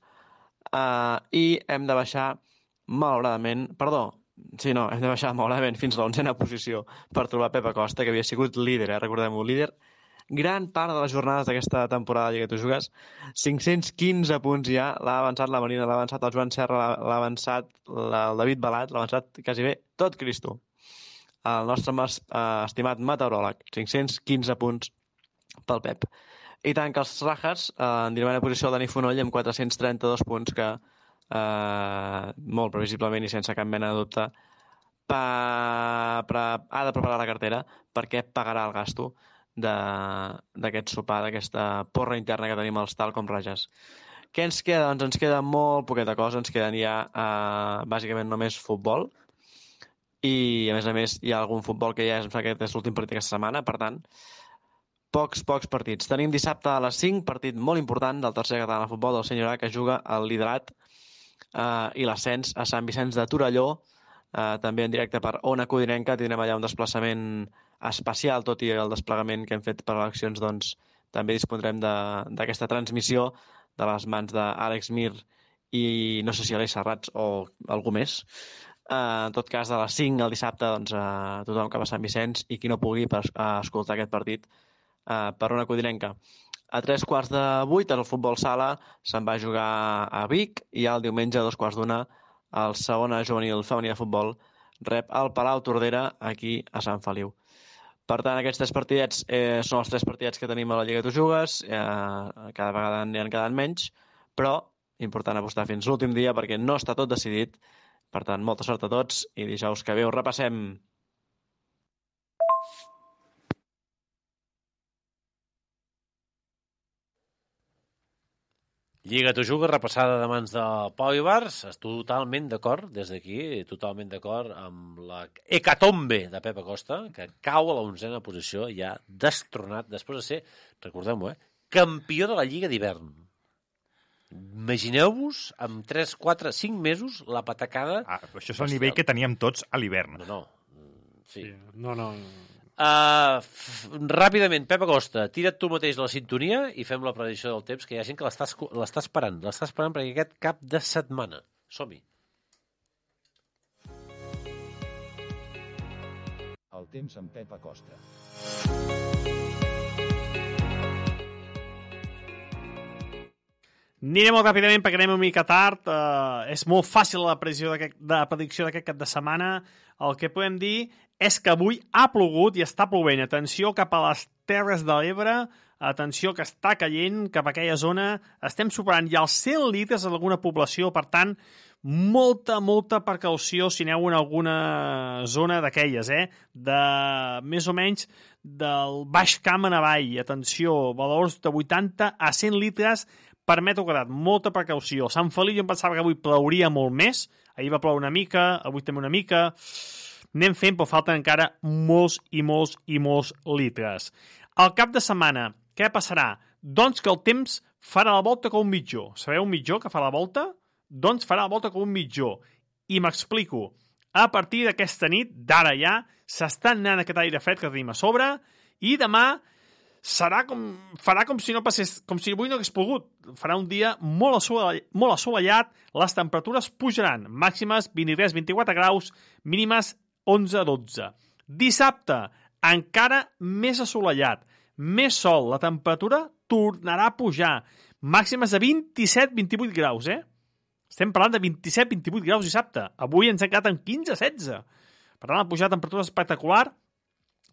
i hem de baixar malauradament fins a l'11a posició per trobar Pep Acosta, que havia sigut líder, recordem-ho, líder gran part de les jornades d'aquesta temporada de Lliga Tu Jugues. 515 punts ja, l'ha avançat la Marina, l'ha avançat el Joan Serra, l'ha avançat el David Balat, l'ha avançat quasi bé tot Cristo. El nostre estimat meteoròleg, 515 punts pel Pep. I tanca els rajas, en dirimena posició el Dani Fonoll amb 432 punts, que molt previsiblement i sense cap mena de dubte ha de preparar la cartera perquè pagarà el gasto d'aquest sopar, d'aquesta porra interna que tenim als Tal Com Rajas. Què ens queda? Doncs ens queda molt poqueta cosa, ens queden ja bàsicament només futbol, i a més hi ha algun futbol que ja aquest és l'últim partit aquesta setmana, per tant pocs partits. Tenim dissabte a les 5, partit molt important del tercer català de futbol del Sènior A, que juga el liderat i l'ascens a Sant Vicenç de Torelló, també en directe per Ona Codinenca. Tindrem allà un desplaçament especial, tot i el desplegament que hem fet per eleccions, doncs també dispondrem d'aquesta transmissió de les mans d'Àlex Mir i no sé si Aleix Serrats o algú més. En tot cas, a les 5 el dissabte, doncs, tothom cap a Sant Vicenç, i qui no pugui escoltar aquest partit per Ona Codinenca. A 7:45 el futbol sala se'n va jugar a Vic, i el diumenge a 2:15 el segona juvenil femení de futbol rep el Palau Tordera aquí a Sant Feliu. Per tant, aquests 3 partidets són els 3 partidets que tenim a la Lliga Tu Jugues. Cada vegada n'hi han quedat menys, però important apostar fins l'últim dia perquè no està tot decidit. Per tant, molta sort a tots i dijous que ve ho repassem. Lliga Tu Jugues, repassada de mans de Pau Ibars. Estic totalment d'acord, des d'aquí, totalment d'acord amb la hecatombe de Pep Acosta, que cau a la 11a posició, ja destronat, després de ser, recordem-ho, campió de la Lliga d'hivern. Imagineu-vos, amb 3, 4, 5 mesos, la patacada... Això és el nivell que teníem tots a l'hivern. No. Sí. No. Ràpidament, Pep Acosta, tira't tu mateix la sintonia i fem la predicció del temps, que hi ha gent que l'està esperant. L'està esperant perquè aquest cap de setmana. Som-hi. El temps amb Pep Acosta. Aniré molt ràpidament perquè anem una mica tard. És molt fàcil la predicció d'aquest cap de setmana. El que podem dir és que avui ha plogut i està plovent. Atenció cap a les Terres de l'Ebre, atenció que està caient cap a aquella zona. Estem superant ja els 100 litres en alguna població, per tant, molta precaució si aneu en alguna zona d'aquelles, de més o menys del Baix Camp en avall. Atenció, valors de 80 a 100 litres per metre quadrat, molta precaució. Sant Feliu jo em pensava que avui plouria molt més, ahir va ploure una mica, avui també una mica, anem fent, però falten encara molts litres. Al cap de setmana, què passarà? Doncs que el temps farà la volta com un mitjó. Sabeu un mitjó que fa la volta? Doncs farà la volta com un mitjó. I m'explico. A partir d'aquesta nit, d'ara ja, s'està anant aquest aire fred que tenim a sobre, i demà farà com si no passés, com si avui no hagués pogut. Farà un dia molt assolellat, les temperatures pujaran, màximes 23-24 graus, mínimes 11-12. Dissabte, encara més assolellat, més sol, la temperatura tornarà a pujar, màximes de 27-28 graus, Estem parlant de 27-28 graus dissabte. Avui ens ha quedat en 15-16. Per tant, la pujada de temperatura espectacular,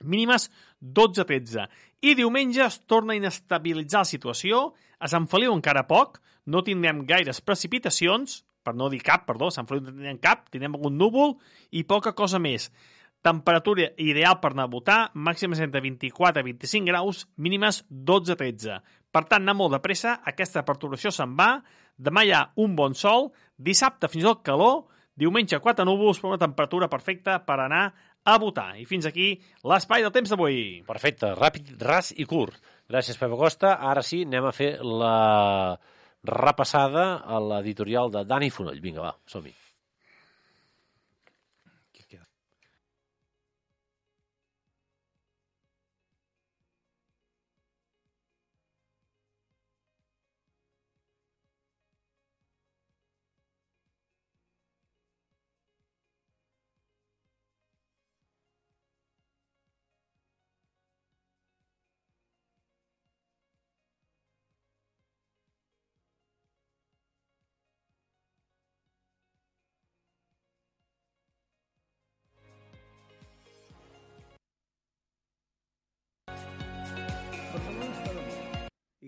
mínimes 12-13. I diumenge es torna a inestabilitzar la situació, a Sant Feliu encara poc, no tindrem gaires precipitacions, per no dir cap, perdó, a Sant Feliu no tindrem cap, tindrem algun núvol i poca cosa més. Temperatura ideal per anar a votar, màximes entre 24 i 25 graus, mínimes 12-13. Per tant, anar molt de pressa, aquesta perturbació se'n va, demà hi ha un bon sol, dissabte fins i tot calor, diumenge 4 núvols, per una temperatura perfecta per anar a votar. I fins aquí l'espai del temps d'avui. Perfecte, ràpid, ras i curt. Gràcies, Pep Acosta. Ara sí, anem a fer la repassada a l'editorial de Dani Fonoll. Vinga, va, som-hi.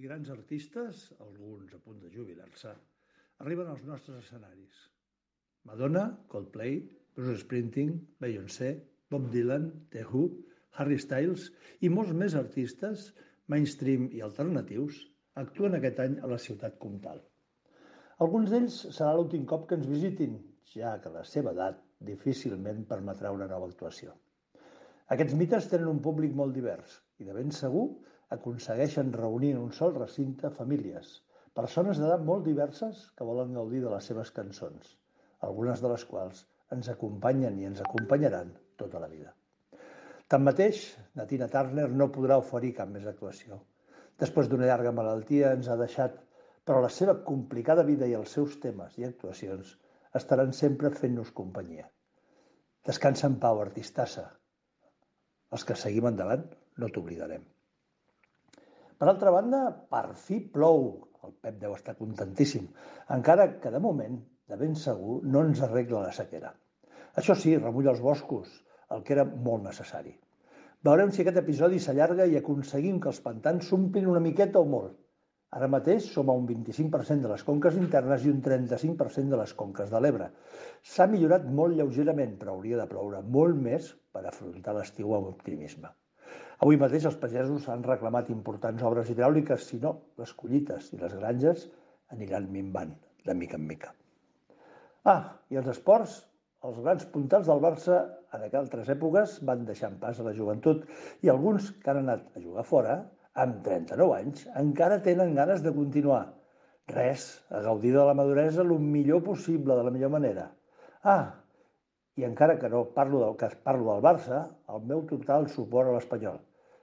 I grans artistes, alguns a punt de jubilar-se, arriben als nostres escenaris. Madonna, Coldplay, Bruce Springsteen, Beyoncé, Bob Dylan, The Who, Harry Styles i molts més artistes, mainstream i alternatius, actuen aquest any a la ciutat comtal. Alguns d'ells serà l'últim cop que ens visitin, ja que la seva edat difícilment permetrà una nova actuació. Aquests mites tenen un públic molt divers i de ben segur aconsegueixen reunir en un sol recinte famílies, persones d'edat molt diverses que volen gaudir de les seves cançons, algunes de les quals ens acompanyen i ens acompanyaran tota la vida. Tanmateix, la Tina Turner no podrà oferir cap més actuació. Després d'una llarga malaltia ens ha deixat, però la seva complicada vida i els seus temes i actuacions estaran sempre fent-nos companyia. Descansa en pau, artistassa. Els que seguim endavant no t'oblidarem. Per altra banda, per fi plou. El Pep deu estar contentíssim, encara que de moment, de ben segur, no ens arregla la sequera. Això sí, remulla els boscos, el que era molt necessari. Veurem si aquest episodi s'allarga i aconseguim que els pantans s'omplin una miqueta o molt. Ara mateix som a un 25% de les conques internes i un 35% de les conques de l'Ebre. S'ha millorat molt lleugerament, però hauria de ploure molt més per afrontar l'estiu amb optimisme. Avui mateix els pagesos han reclamat importants obres hidràuliques, si no, les collites i les granges aniran minvant de mica en mica. I els esports, els grans puntals del Barça en altres èpoques van deixant pas a la joventut i alguns que han anat a jugar fora, amb 39 anys, encara tenen ganes de continuar. Res, a gaudir de la maduresa el millor possible, de la millor manera. I encara que no parlo del cas, parlo del Barça, el meu total suport a l'Espanyol.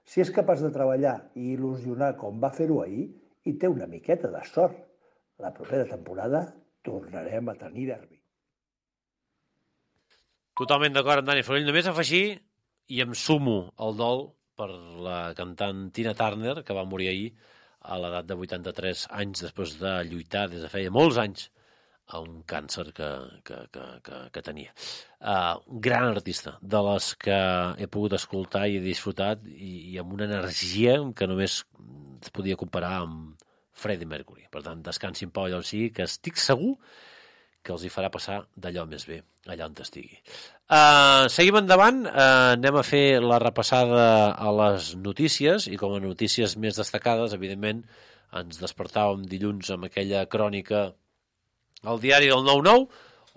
Si és capaç de treballar i il·lusionar com va fer-ho ahir, i té una miqueta de sort, la propera temporada tornarem a tenir derbi. Totalment d'acord amb Dani Forell. Només afegir, i em sumo al dol per la cantant Tina Turner, que va morir ahir a l'edat de 83 anys després de lluitar des de feia molts anys a un càncer que tenia. Gran artista, de les que he pogut escoltar i he disfrutat, i amb una energia que només es podia comparar amb Freddie Mercury. Per tant, descansi en pau allà on sigui, que estic segur que els hi farà passar d'allò més bé, allà on estigui. Seguim endavant, anem a fer la repassada a les notícies, i com a notícies més destacades, evidentment, ens despertàvem dilluns amb aquella crònica al diari del 9-9,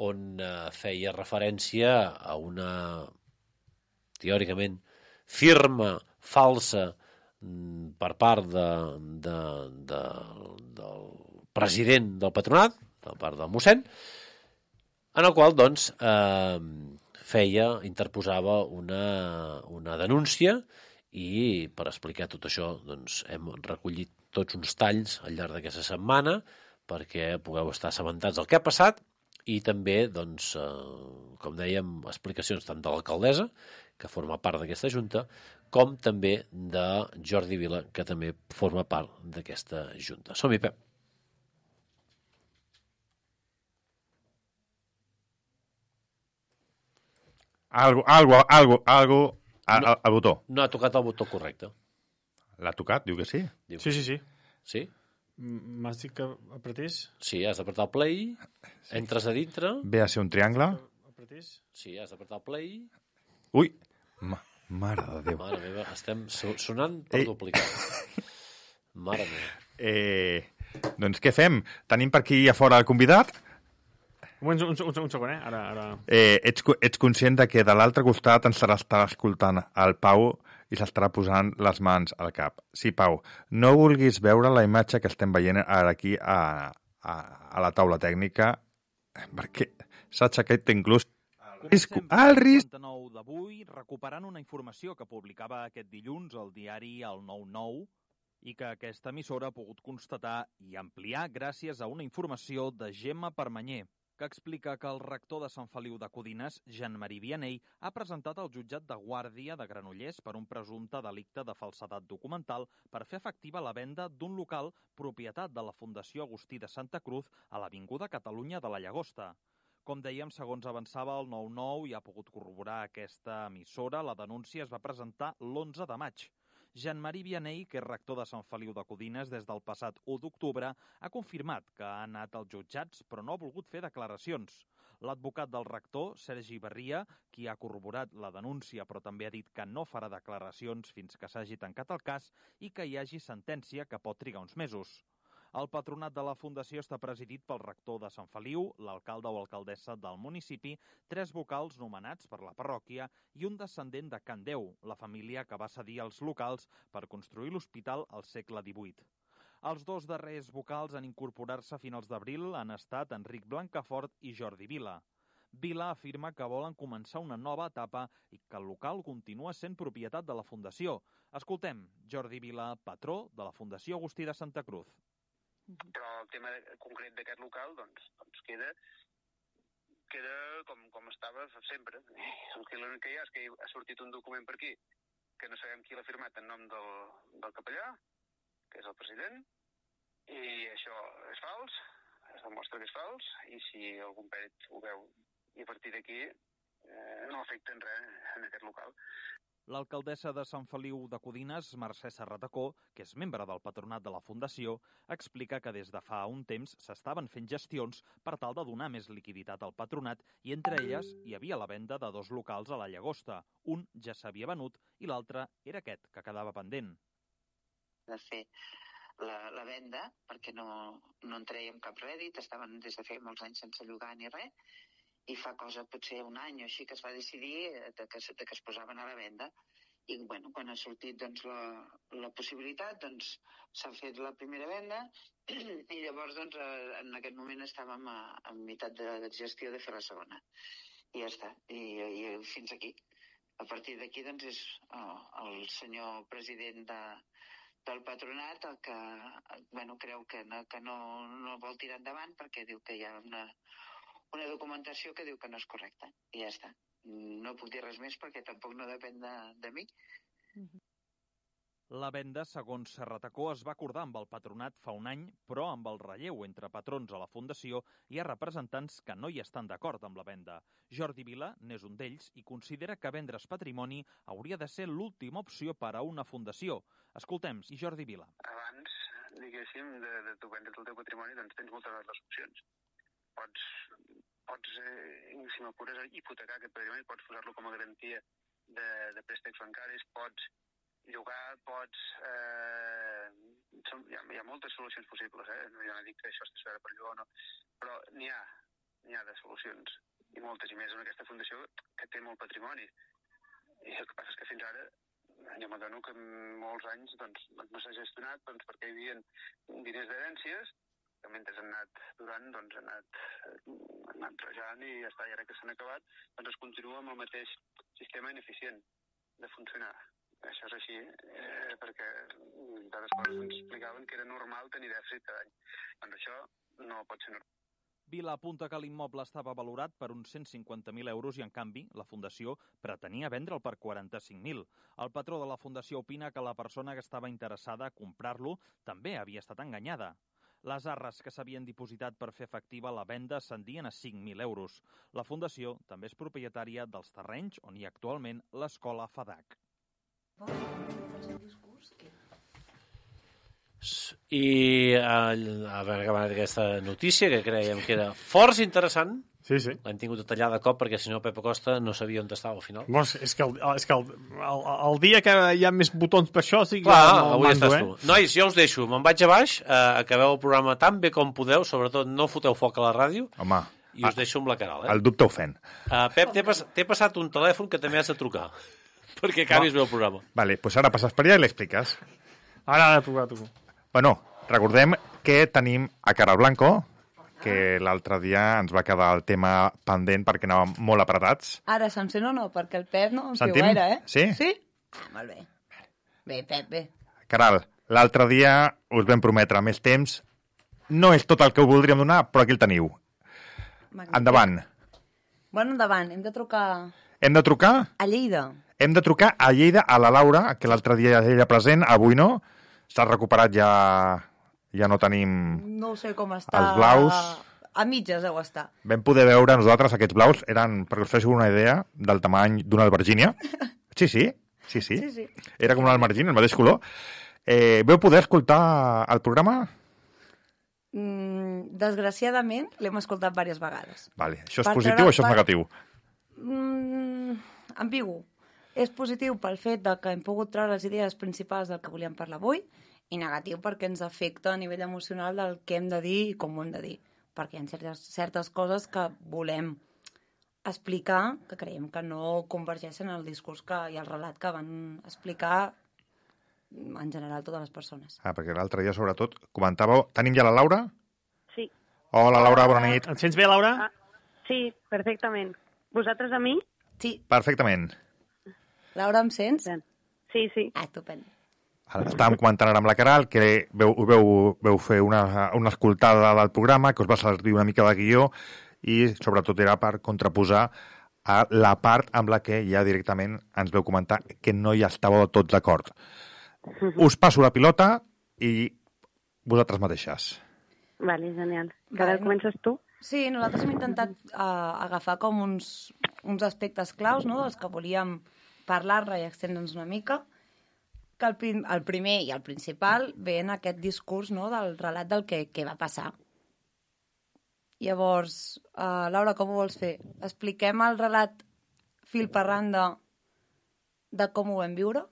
on feia referència a una, teòricament, firma falsa per part del president del patronat, per part del mossèn, en el qual, doncs, interposava una denúncia, i per explicar tot això, doncs, hem recollit tots uns talls al llarg d'aquesta setmana perquè pugueu estar assabentats del que ha passat, i també, doncs, com dèiem, explicacions tant de l'alcaldessa, que forma part d'aquesta junta, com també de Jordi Vila, que també forma part d'aquesta junta. Som-hi, Pep. Algo al botó. No ha tocat el botó correcte. L'ha tocat? Diu que sí? Sí. Sí? M'has dit que apretés? Sí, has d'apretar el play, entres a dintre... Ve a ser un triangle. Apretés? Sí, has d'apretar el play... Ui! Mare de Déu. Mare meva, estem sonant per duplicat. Mare meva. Doncs què fem? Tenim per aquí a fora el convidat? Un segon, Ara... Ets conscient de que de l'altre costat ens estarà escoltant el Pau i s'estarà posant les mans al cap. Sí, Pau, no vulguis veure la imatge que estem veient ara aquí a la taula tècnica, perquè s'ha aixecat inclús el risc. D'avui, recuperant una informació que publicava aquest dilluns el diari El 9-9 i que aquesta emissora ha pogut constatar i ampliar gràcies a una informació de Gemma Permanyer, que explica que el rector de Sant Feliu de Codines, Jean-Marie Vianney, ha presentat al jutjat de Guàrdia de Granollers per un presumpte delicte de falsedat documental per fer efectiva la venda d'un local propietat de la Fundació Agustí de Santa Cruz a l'Avinguda Catalunya de la Llagosta. Com dèiem, segons avançava el 9-9 i ha pogut corroborar aquesta emissora, la denúncia es va presentar l'11 de maig. Jean-Marie Vianney, que és rector de Sant Feliu de Codines des del passat 1 d'octubre, ha confirmat que ha anat als jutjats però no ha volgut fer declaracions. L'advocat del rector, Sergi Barria, qui ha corroborat la denúncia però també ha dit que no farà declaracions fins que s'hagi tancat el cas i que hi hagi sentència que pot trigar uns mesos. El patronat de la Fundació està presidit pel rector de Sant Feliu, l'alcalde o alcaldessa del municipi, 3 vocals nomenats per la parròquia i un descendent de Can Déu, la família que va cedir els locals per construir l'hospital al segle XVIII. Els 2 darrers vocals en incorporar-se a finals d'abril han estat Enric Blancafort i Jordi Vila. Vila afirma que volen començar una nova etapa i que el local continua sent propietat de la Fundació. Escoltem Jordi Vila, patró de la Fundació Agustí de Santa Cruz. Però el tema concret d'aquest local doncs queda com estava sempre. L'únic que hi ha és que ha sortit un document per aquí que no sabem qui l'ha firmat en nom del capellà, que és el president, i això és fals, es demostra que és fals, i si algun pèrit ho veu i a partir d'aquí no afecten res en aquest local. L'alcaldessa de Sant Feliu de Codines, Mercè Serratacó, que és membre del patronat de la Fundació, explica que des de fa un temps s'estaven fent gestions per tal de donar més liquiditat al patronat i entre elles hi havia la venda de 2 locals a la Llagosta. Un ja s'havia venut i l'altre era aquest, que quedava pendent. De fer la venda, perquè no en traiem cap rèdit, estaven des de fer molts anys sense llogar ni res, i fa cosa potser un any o així que es va decidir que es posaven a la venda. I quan ha sortit la possibilitat, s'ha fet la primera venda i llavors en aquest moment estàvem a meitat de gestió de fer la segona. I ja està, i fins aquí. A partir d'aquí, doncs, és el senyor president del patronat el que creu que no vol tirar endavant perquè diu que hi ha una documentació que diu que no és correcta. I ja està. No puc dir res més perquè tampoc no depèn de mi. La venda, segons Serratacó, es va acordar amb el patronat fa un any, però amb el relleu entre patrons a la Fundació hi ha representants que no hi estan d'acord amb la venda. Jordi Vila n'és un d'ells i considera que vendre's patrimoni hauria de ser l'última opció per a una fundació. Escoltem, i Jordi Vila. Abans, diguéssim, de tu vendre's el teu patrimoni, doncs tens moltes altres opcions. Pots si m'apures, hipotecar aquest patrimoni, pots posar-lo com a garantia de préstecs bancaris, pots llogar, hi ha moltes solucions possibles, jo no dic que això està per llogar o no, però n'hi ha de solucions, i moltes, i més en aquesta fundació que té molt patrimoni. I el que passa és que fins ara jo m'adono que molts anys no s'ha gestionat perquè hi havia diners d'herències que mentre han anat durant, han anat rejant i ja està, i ara que s'han acabat, es continua amb el mateix sistema ineficient de funcionar. Això és així, perquè d'altres coses ens explicaven que era normal tenir dèficit cada any. Doncs això no pot ser normal. Vila apunta que l'immoble estava valorat per uns 150.000 euros i, en canvi, la Fundació pretenia vendre'l per 45.000. El patró de la Fundació opina que la persona que estava interessada a comprar-lo també havia estat enganyada. Les arres que s'havien dipositat per fer efectiva la venda ascendien a 5.000 euros. La Fundació també és propietària dels terrenys on hi ha actualment l'escola FADAC. I a veure que va aquesta notícia que creiem que era força interessant. Sí. L'hem tingut detallada de cop perquè si no Pepe Costa no sabia on estava al final. És que el dia que hi ha més botons per això sí que avui estàs tu. Nois, jo us deixo, me'n vaig a baix, acabeu el programa tan bé com podeu, sobretot no foteu foc a la ràdio. Home, i us deixo amb la Caral. El dubte ofèn. Pep, t'he passat un telèfon que també has de trucar perquè acabis bé el programa. Vale, pues ara passes per allà i l'expliques. Ara ha de trucar tu. Bueno, recordem que tenim a Caral Blanco, que l'altre dia ens va quedar el tema pendent perquè anàvem molt apretats. Ara se'm sent o no? Perquè el Pep no em fiu gaire, Sí? Sí? Molt bé. Bé, Pep, bé. Caral, l'altre dia us vam prometre més temps. No és tot el que us voldríem donar, però aquí el teniu. Magnífic. Endavant. Bueno, endavant. Hem de trucar... Hem de trucar? A Lleida. Hem de trucar a Lleida, a la Laura, que l'altre dia ella present, avui no. S'ha recuperat, ja no tenim... No sé com està. Els blaus. A mitges deu estar. Vam poder veure nosaltres aquests blaus, eren, perquè us féssiu una idea, del tamany d'una albergínia. Sí. Era com una albergínia, el mateix color. Veu poder escoltar el programa? Desgraciadament, l'hem escoltat diverses vegades. Vale. Això és positiu o això és negatiu? Ambigu. És positiu pel fet que hem pogut treure les idees principals del que volíem parlar avui i negatiu perquè ens afecta a nivell emocional del que hem de dir i com ho hem de dir. Perquè hi ha certes coses que volem explicar que creiem que no convergeixen el discurs i el relat que van explicar en general totes les persones. Perquè l'altre dia, sobretot, comentàveu... Tenim ja la Laura? Sí. Hola, Laura, bona nit. Et sents bé, Laura? Sí, perfectament. Vosaltres a mi? Sí. Perfectament. Laura, em sents? Sí. Estupend. Estàvem comentant ara amb la Caral que veu fer una escoltada del programa, que us va servir una mica de guió i sobretot era per contraposar a la part amb la que ja directament ens veu comentar que no hi estàveu tots d'acord. Us passo la pilota i vosaltres mateixes. Vale, genial. Caral, comences tu? Sí, nosaltres hem intentat agafar com uns aspectes claus, no?, dels que volíem parlar-ne i extendre'ns una mica, que el primer i el principal ve en aquest discurs, no?, del relat del que va passar. Llavors, Laura, com ho vols fer? Expliquem el relat fil per randa de com ho vam viure?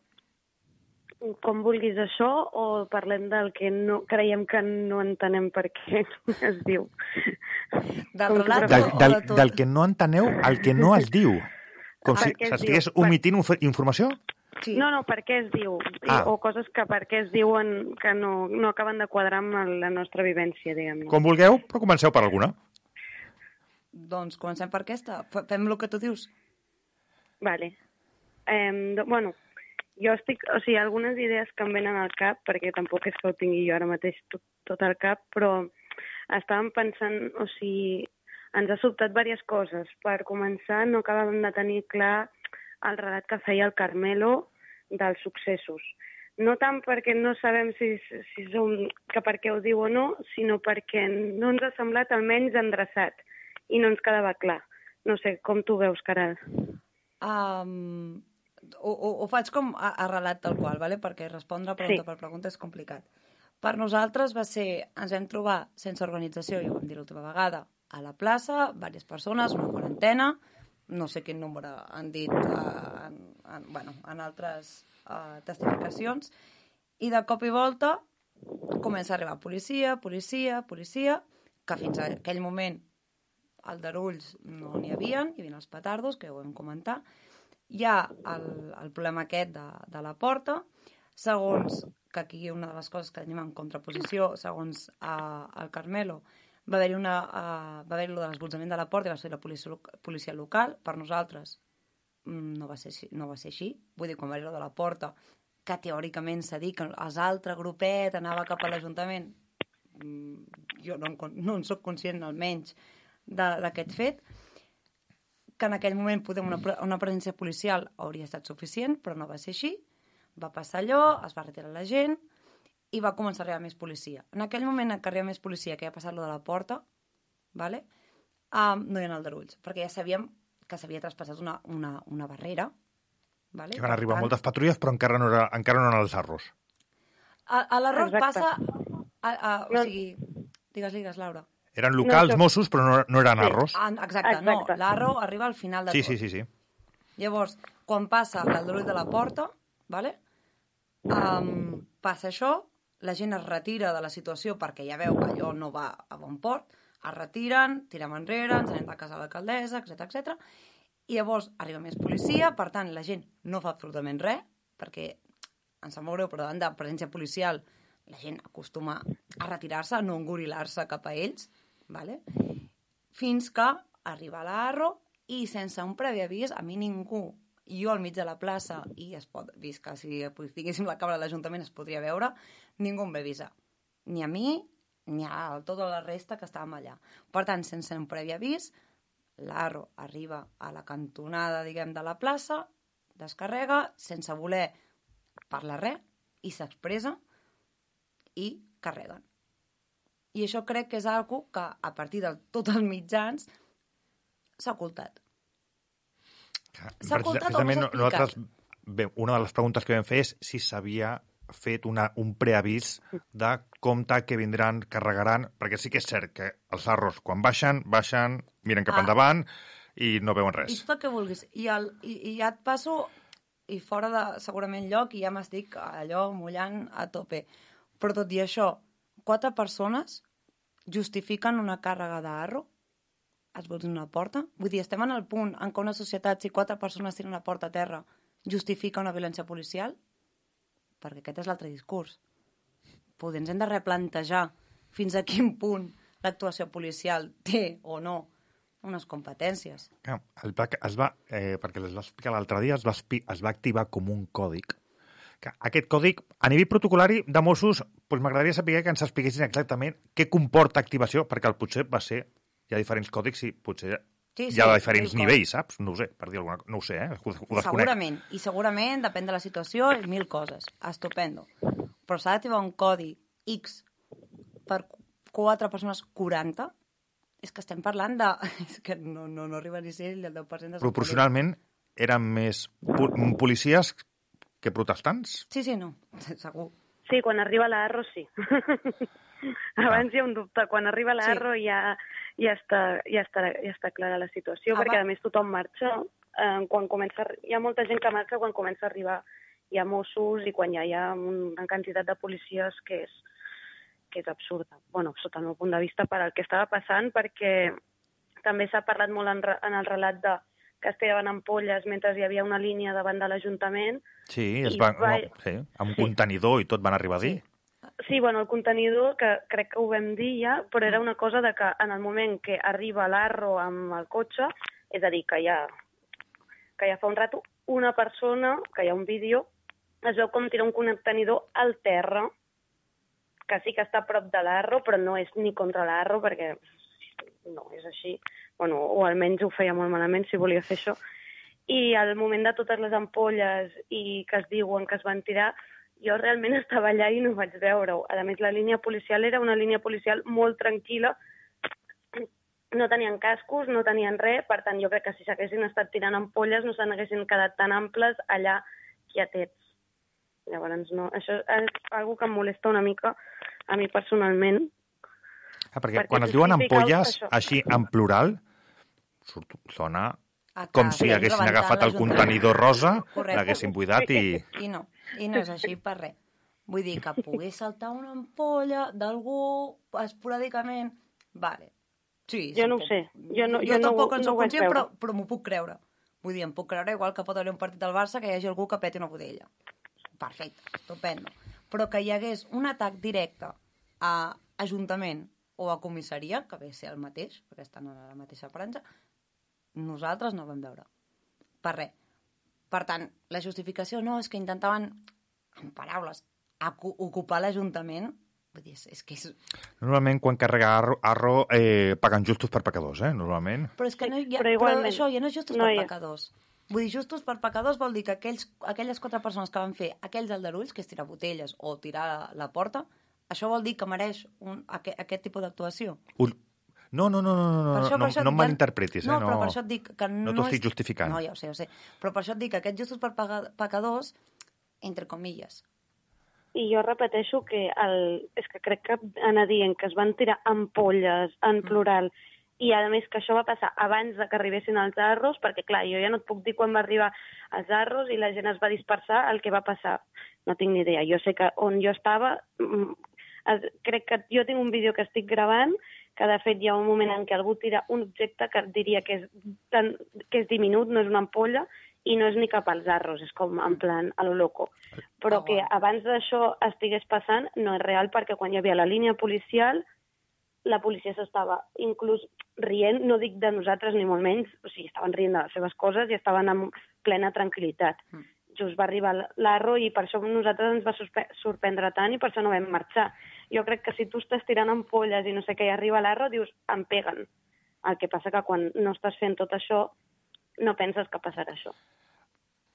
Com vulguis això, o parlem del que no creiem que no entenem per què es diu? Del relat del que no enteneu al que no es diu. Com si s'estigués omitint informació? Sí. No, per què es diu. O coses que per què es diuen que no acaben de quadrar amb la nostra vivència, diguem-ne. Com vulgueu, però comenceu per alguna. Doncs comencem per aquesta. Fem el que tu dius. Vale. Bueno, jo estic... O sigui, algunes idees que em venen al cap, perquè tampoc és que ho tingui jo ara mateix tot al cap, però estàvem pensant, o sigui, ens ha sobtat diverses coses. Per començar, no acabàvem de tenir clar el relat que feia el Carmelo dels successos. No tant perquè no sabem si que per què ho diu o no, sinó perquè no ens ha semblat almenys endreçat i no ens quedava clar. No sé, com tu veus, Caral? Ho faig com a relat tal qual, ¿vale? Perquè respondre pregunta per pregunta és complicat. Per nosaltres va ser, ens vam trobar sense organització, ja ho vam dir l'última vegada, a la plaça, diverses persones, una quarantena, no sé quin número han dit en altres testificacions, i de cop i volta comença a arribar policia, que fins a aquell moment aldarulls no n'hi havien, hi havia els petardos, que ho vam comentar. Hi ha el problema aquest de la porta, segons, que aquí una de les coses que tenim en contraposició, segons el Carmelo, va haver-hi lo de l'esbolsament de la porta i va ser la policia local. Per nosaltres no va ser així. Vull dir, quan va haver-hi lo de la porta, que teòricament s'ha dit que els altres grupet anava cap a l'Ajuntament, jo no en soc conscient almenys d'aquest fet, que en aquell moment una presència policial hauria estat suficient, però no va ser així. Va passar allò, es va retirar la gent i va començar a arribar més policia. En aquell moment que arriba més policia, que ja ha passat lo de la porta, ¿vale? No hi ha aldarulls, perquè ja sabíem que s'havia traspassat una barrera. ¿Vale? Que van arribar moltes patrulles, però encara no eren els arros. A l'arròs passa... O sigui, digues, Laura. Eren locals, Mossos, però no eren arros. Exacte, no. L'arro arriba al final de tot. Sí. Llavors, quan passa l'aldarull de la porta, ¿vale? Passa això, la gent es retira de la situació perquè ja veu que allò no va a bon port, es retiren, tirem enrere, ens anem a casa de l'alcaldessa, etc. I llavors arriba més policia, per tant, la gent no fa absolutament res, perquè em sap molt greu, però davant de presència policial la gent acostuma a retirar-se, a no engorilar-se cap a ells, ¿vale? Fins que arriba l'Arro i sense un previ avís, a mi ningú, jo al mig de la plaça, i es pot, vist que si tinguéssim la càmera de l'Ajuntament es podria veure, ningú em va avisar. Ni a mi, ni a tota la resta que estàvem allà. Per tant, sense un previ avís, l'Arro arriba a la cantonada, diguem, de la plaça, descarrega, sense voler parlar res, i s'expressa, i carreguen. I això crec que és algo que, a partir de tots els mitjans, s'ha ocultat. S'ha ocultat o no s'ha explicat? Una de les preguntes que vam fer és si s'havia fet un preavís de compte que vindran, carregaran, perquè sí que és cert que els arros, quan baixen, miren cap endavant i no veuen res. I tot el que vulguis. I ja et passo, i fora de segurament lloc, i ja m'estic allò mullant a tope. Però tot i això, 4 persones justifiquen una càrrega d'arro? Es vols una porta? Vull dir, estem en el punt en què una societat, si 4 persones tiren una porta a terra, justifica una violència policial? Perquè aquest és l'altre discurs. Potser ens hem de replantejar fins a quin punt l'actuació policial té o no unes competències. Perquè les va explicar l'altre dia, es va activar com un còdic. Aquest còdic, a nivell protocolari de Mossos, m'agradaria saber que ens expliquessin exactament què comporta activació, perquè potser va ser, hi ha diferents còdics i potser hi ha diferents nivells, saps? No ho sé, per dir alguna cosa. No ho sé, ho desconec. Segurament, depèn de la situació, 1000 coses. Estupendo. Però s'ha d'activar un codi X per 4 persones 40? És que estem parlant de... És que no arriba ni a ser el 10% de... Proporcionalment eren més policies que protestants? Sí, no, segur. Sí, quan arriba l'Arro, sí. Abans hi ha un dubte. Quan arriba l'Arro ja està clara la situació, perquè a més tothom marxa. Hi ha molta gent que marxa quan comença a arribar hi ha Mossos i quan ja hi ha una quantitat de policies que és absurda. Bueno, sota el meu punt de vista, per al que estava passant, perquè també s'ha parlat molt en el relat que es tiraven ampolles mentre hi havia una línia davant de l'Ajuntament. Sí, amb un contenidor i tot van arribar a dir. Sí, bueno, el contenidor, que crec que ho vam dir ja, però era una cosa de que en el moment que arriba l'Arro amb el cotxe, és a dir, que ja fa un rato, una persona, que hi ha un vídeo, es veu com tira un contenidor al terra, que sí que està a prop de l'Arro, però no és ni contra l'Arro, perquè no és així. Bueno, o almenys ho feia molt malament, si volia fer això. I al moment de totes les ampolles i que es diuen que es van tirar, jo realment estava allà i no vaig veure-ho. A més, la línia policial era una línia policial molt tranquil·la. No tenien cascos, no tenien res, per tant, jo crec que si s'haguessin estat tirant ampolles no se n'haguessin quedat tan amples allà quietets. Llavors, no, això és una que em molesta una mica a mi personalment. Perquè quan es diuen ampolles, així en plural, sona com si haguessin agafat el contenidor rosa, l'haguessin buidat i... I no és així per res. Vull dir que pogués saltar una ampolla d'algú esporàdicament, vale. Sí, jo no ho sé. Jo tampoc en no soc conscient, veure. però m'ho puc creure. Vull dir, em puc creure igual que pot haver un partit del Barça que hi hagi algú que peti una botella. Perfecte, estupendo. Però que hi hagués un atac directe a Ajuntament o a comissaria, que ve a ser el mateix, perquè estan a la mateixa franja, nosaltres no vam veure. Per res. Per tant, la justificació no, és que intentaven, en paraules, ocupar l'Ajuntament. Vull dir, és que és... Normalment, quan carrega Arro, paguen justos per pecadors, normalment. Però és que no, però això ja no és justos per pecadors. Vull dir, justos per pecadors vol dir que aquelles 4 persones que van fer aquells aldarulls, que és tirar botelles o tirar la porta, això vol dir que mereix aquest tipus d'actuació. No em malinterpretis. No, però per això et dic que no t'ho estic justificant. No, ja ho sé. Però per això et dic que aquests justos per pecadors, entre comilles. I jo repeteixo que és que crec que anar dient que es van tirar ampolles en plural i a més que això va passar abans de que arribessin els Arros, perquè clar, jo ja no et puc dir quan va arribar els Arros i la gent es va dispersar el que va passar. No tinc ni idea. Jo sé que on jo estava, crec que jo tinc un vídeo que estic gravant que de fet hi ha un moment en què algú tira un objecte que diria que és diminut, no és una ampolla, i no és ni cap als Arros, és com en plan a lo loco. Però que abans d'això estigués passant no és real, perquè quan hi havia la línia policial, la policia s'estava inclús rient, no dic de nosaltres ni molt menys, o sigui, estaven rient de les seves coses i estaven en plena tranquil·litat. Just va arribar l'Arro i per això nosaltres ens va sorprendre tant i per això no vam marxar. Jo crec que si tu estàs tirant ampolles i no sé què, i arriba l'Arro, dius, em peguen. El que passa que quan no estàs fent tot això, no penses que passarà això.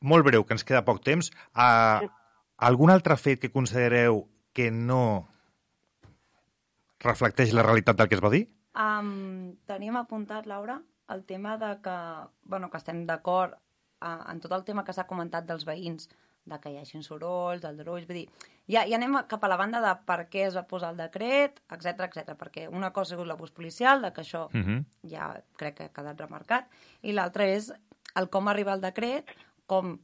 Molt breu, que ens queda poc temps. Algun altre fet que considereu que no reflecteix la realitat del que es va dir? Teníem apuntat, Laura, el tema de que estem d'acord en tot el tema que s'ha comentat dels veïns, de que hi hagin sorolls, aldarulls, vull dir, ja anem cap a la banda de per què es va posar el decret, etc, perquè una cosa ha sigut l'abús policial, de que això ja crec que ha quedat remarcat, i l'altra és el com arriba el decret, com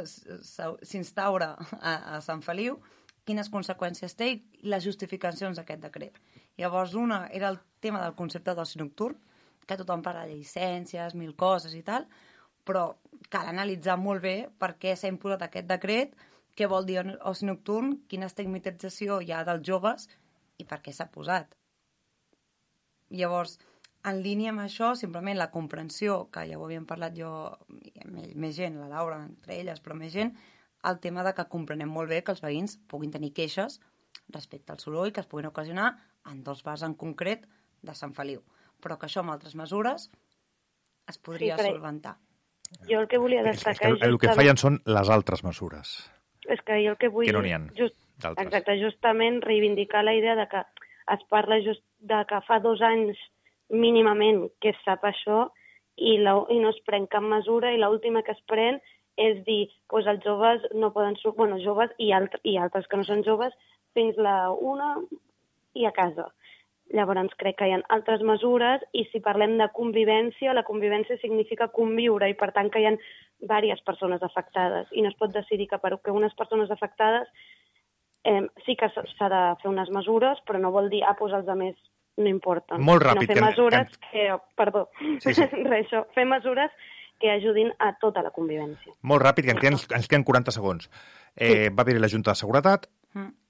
s'instaura a Sant Feliu, quines conseqüències té i les justificacions d'aquest decret. Llavors, una era el tema del concepte d'oci nocturn, que tothom parla de llicències, 1000 coses i tal, però cal analitzar molt bé per què s'ha imposat aquest decret, què vol dir oci nocturn, quina estigmatització hi ha dels joves i per què s'ha posat. Llavors, en línia amb això, simplement la comprensió, que ja ho havíem parlat jo, més gent, la Laura, entre elles, però més gent, el tema de que comprenem molt bé que els veïns puguin tenir queixes respecte al soroll que es puguin ocasionar en 2 bars en concret de Sant Feliu, però que això amb altres mesures es podria solventar. Jo el que volia destacar... El que fallen són les altres mesures. És que jo el que vull... Que no n'hi ha d'altres. Exacte, justament reivindicar la idea de que es parla just de que fa 2 anys mínimament que es sap això i no es pren cap mesura i l'última que es pren és dir que els joves no poden sortir, bueno, joves i altres que no són joves, fins la 1 i a casa. Llavors crec que hi ha altres mesures i si parlem de convivència, la convivència significa conviure i per tant que hi ha diverses persones afectades i no es pot decidir que per unes persones afectades sí que s'ha de fer unes mesures, però no vol dir doncs els altres no importen. Molt ràpid. No fer mesures fer mesures que ajudin a tota la convivència. Molt ràpid, que ens queden 40 segons. Va haver-hi la Junta de Seguretat,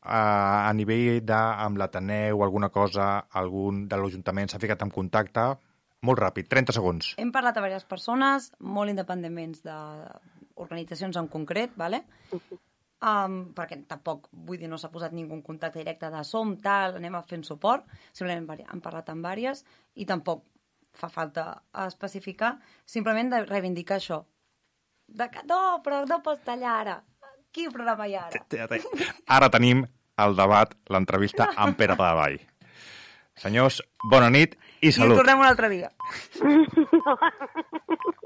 a nivell amb l'Ateneu o alguna cosa, algun de l'Ajuntament s'ha ficat en contacte? Molt ràpid, 30 segons. Hem parlat a diverses persones, molt independents d'organitzacions en concret, ¿vale? Perquè tampoc, vull dir, no s'ha posat ningú en contacte directe de som, tal, anem a fer suport, simplement hem parlat amb diverses i tampoc fa falta especificar, simplement de reivindicar això. No, però no pots tallar ara. Quin programa hi ha ara? Ara tenim el debat, l'entrevista amb Pere Palavall. Senyors, bona nit i salut. I tornem un altre dia.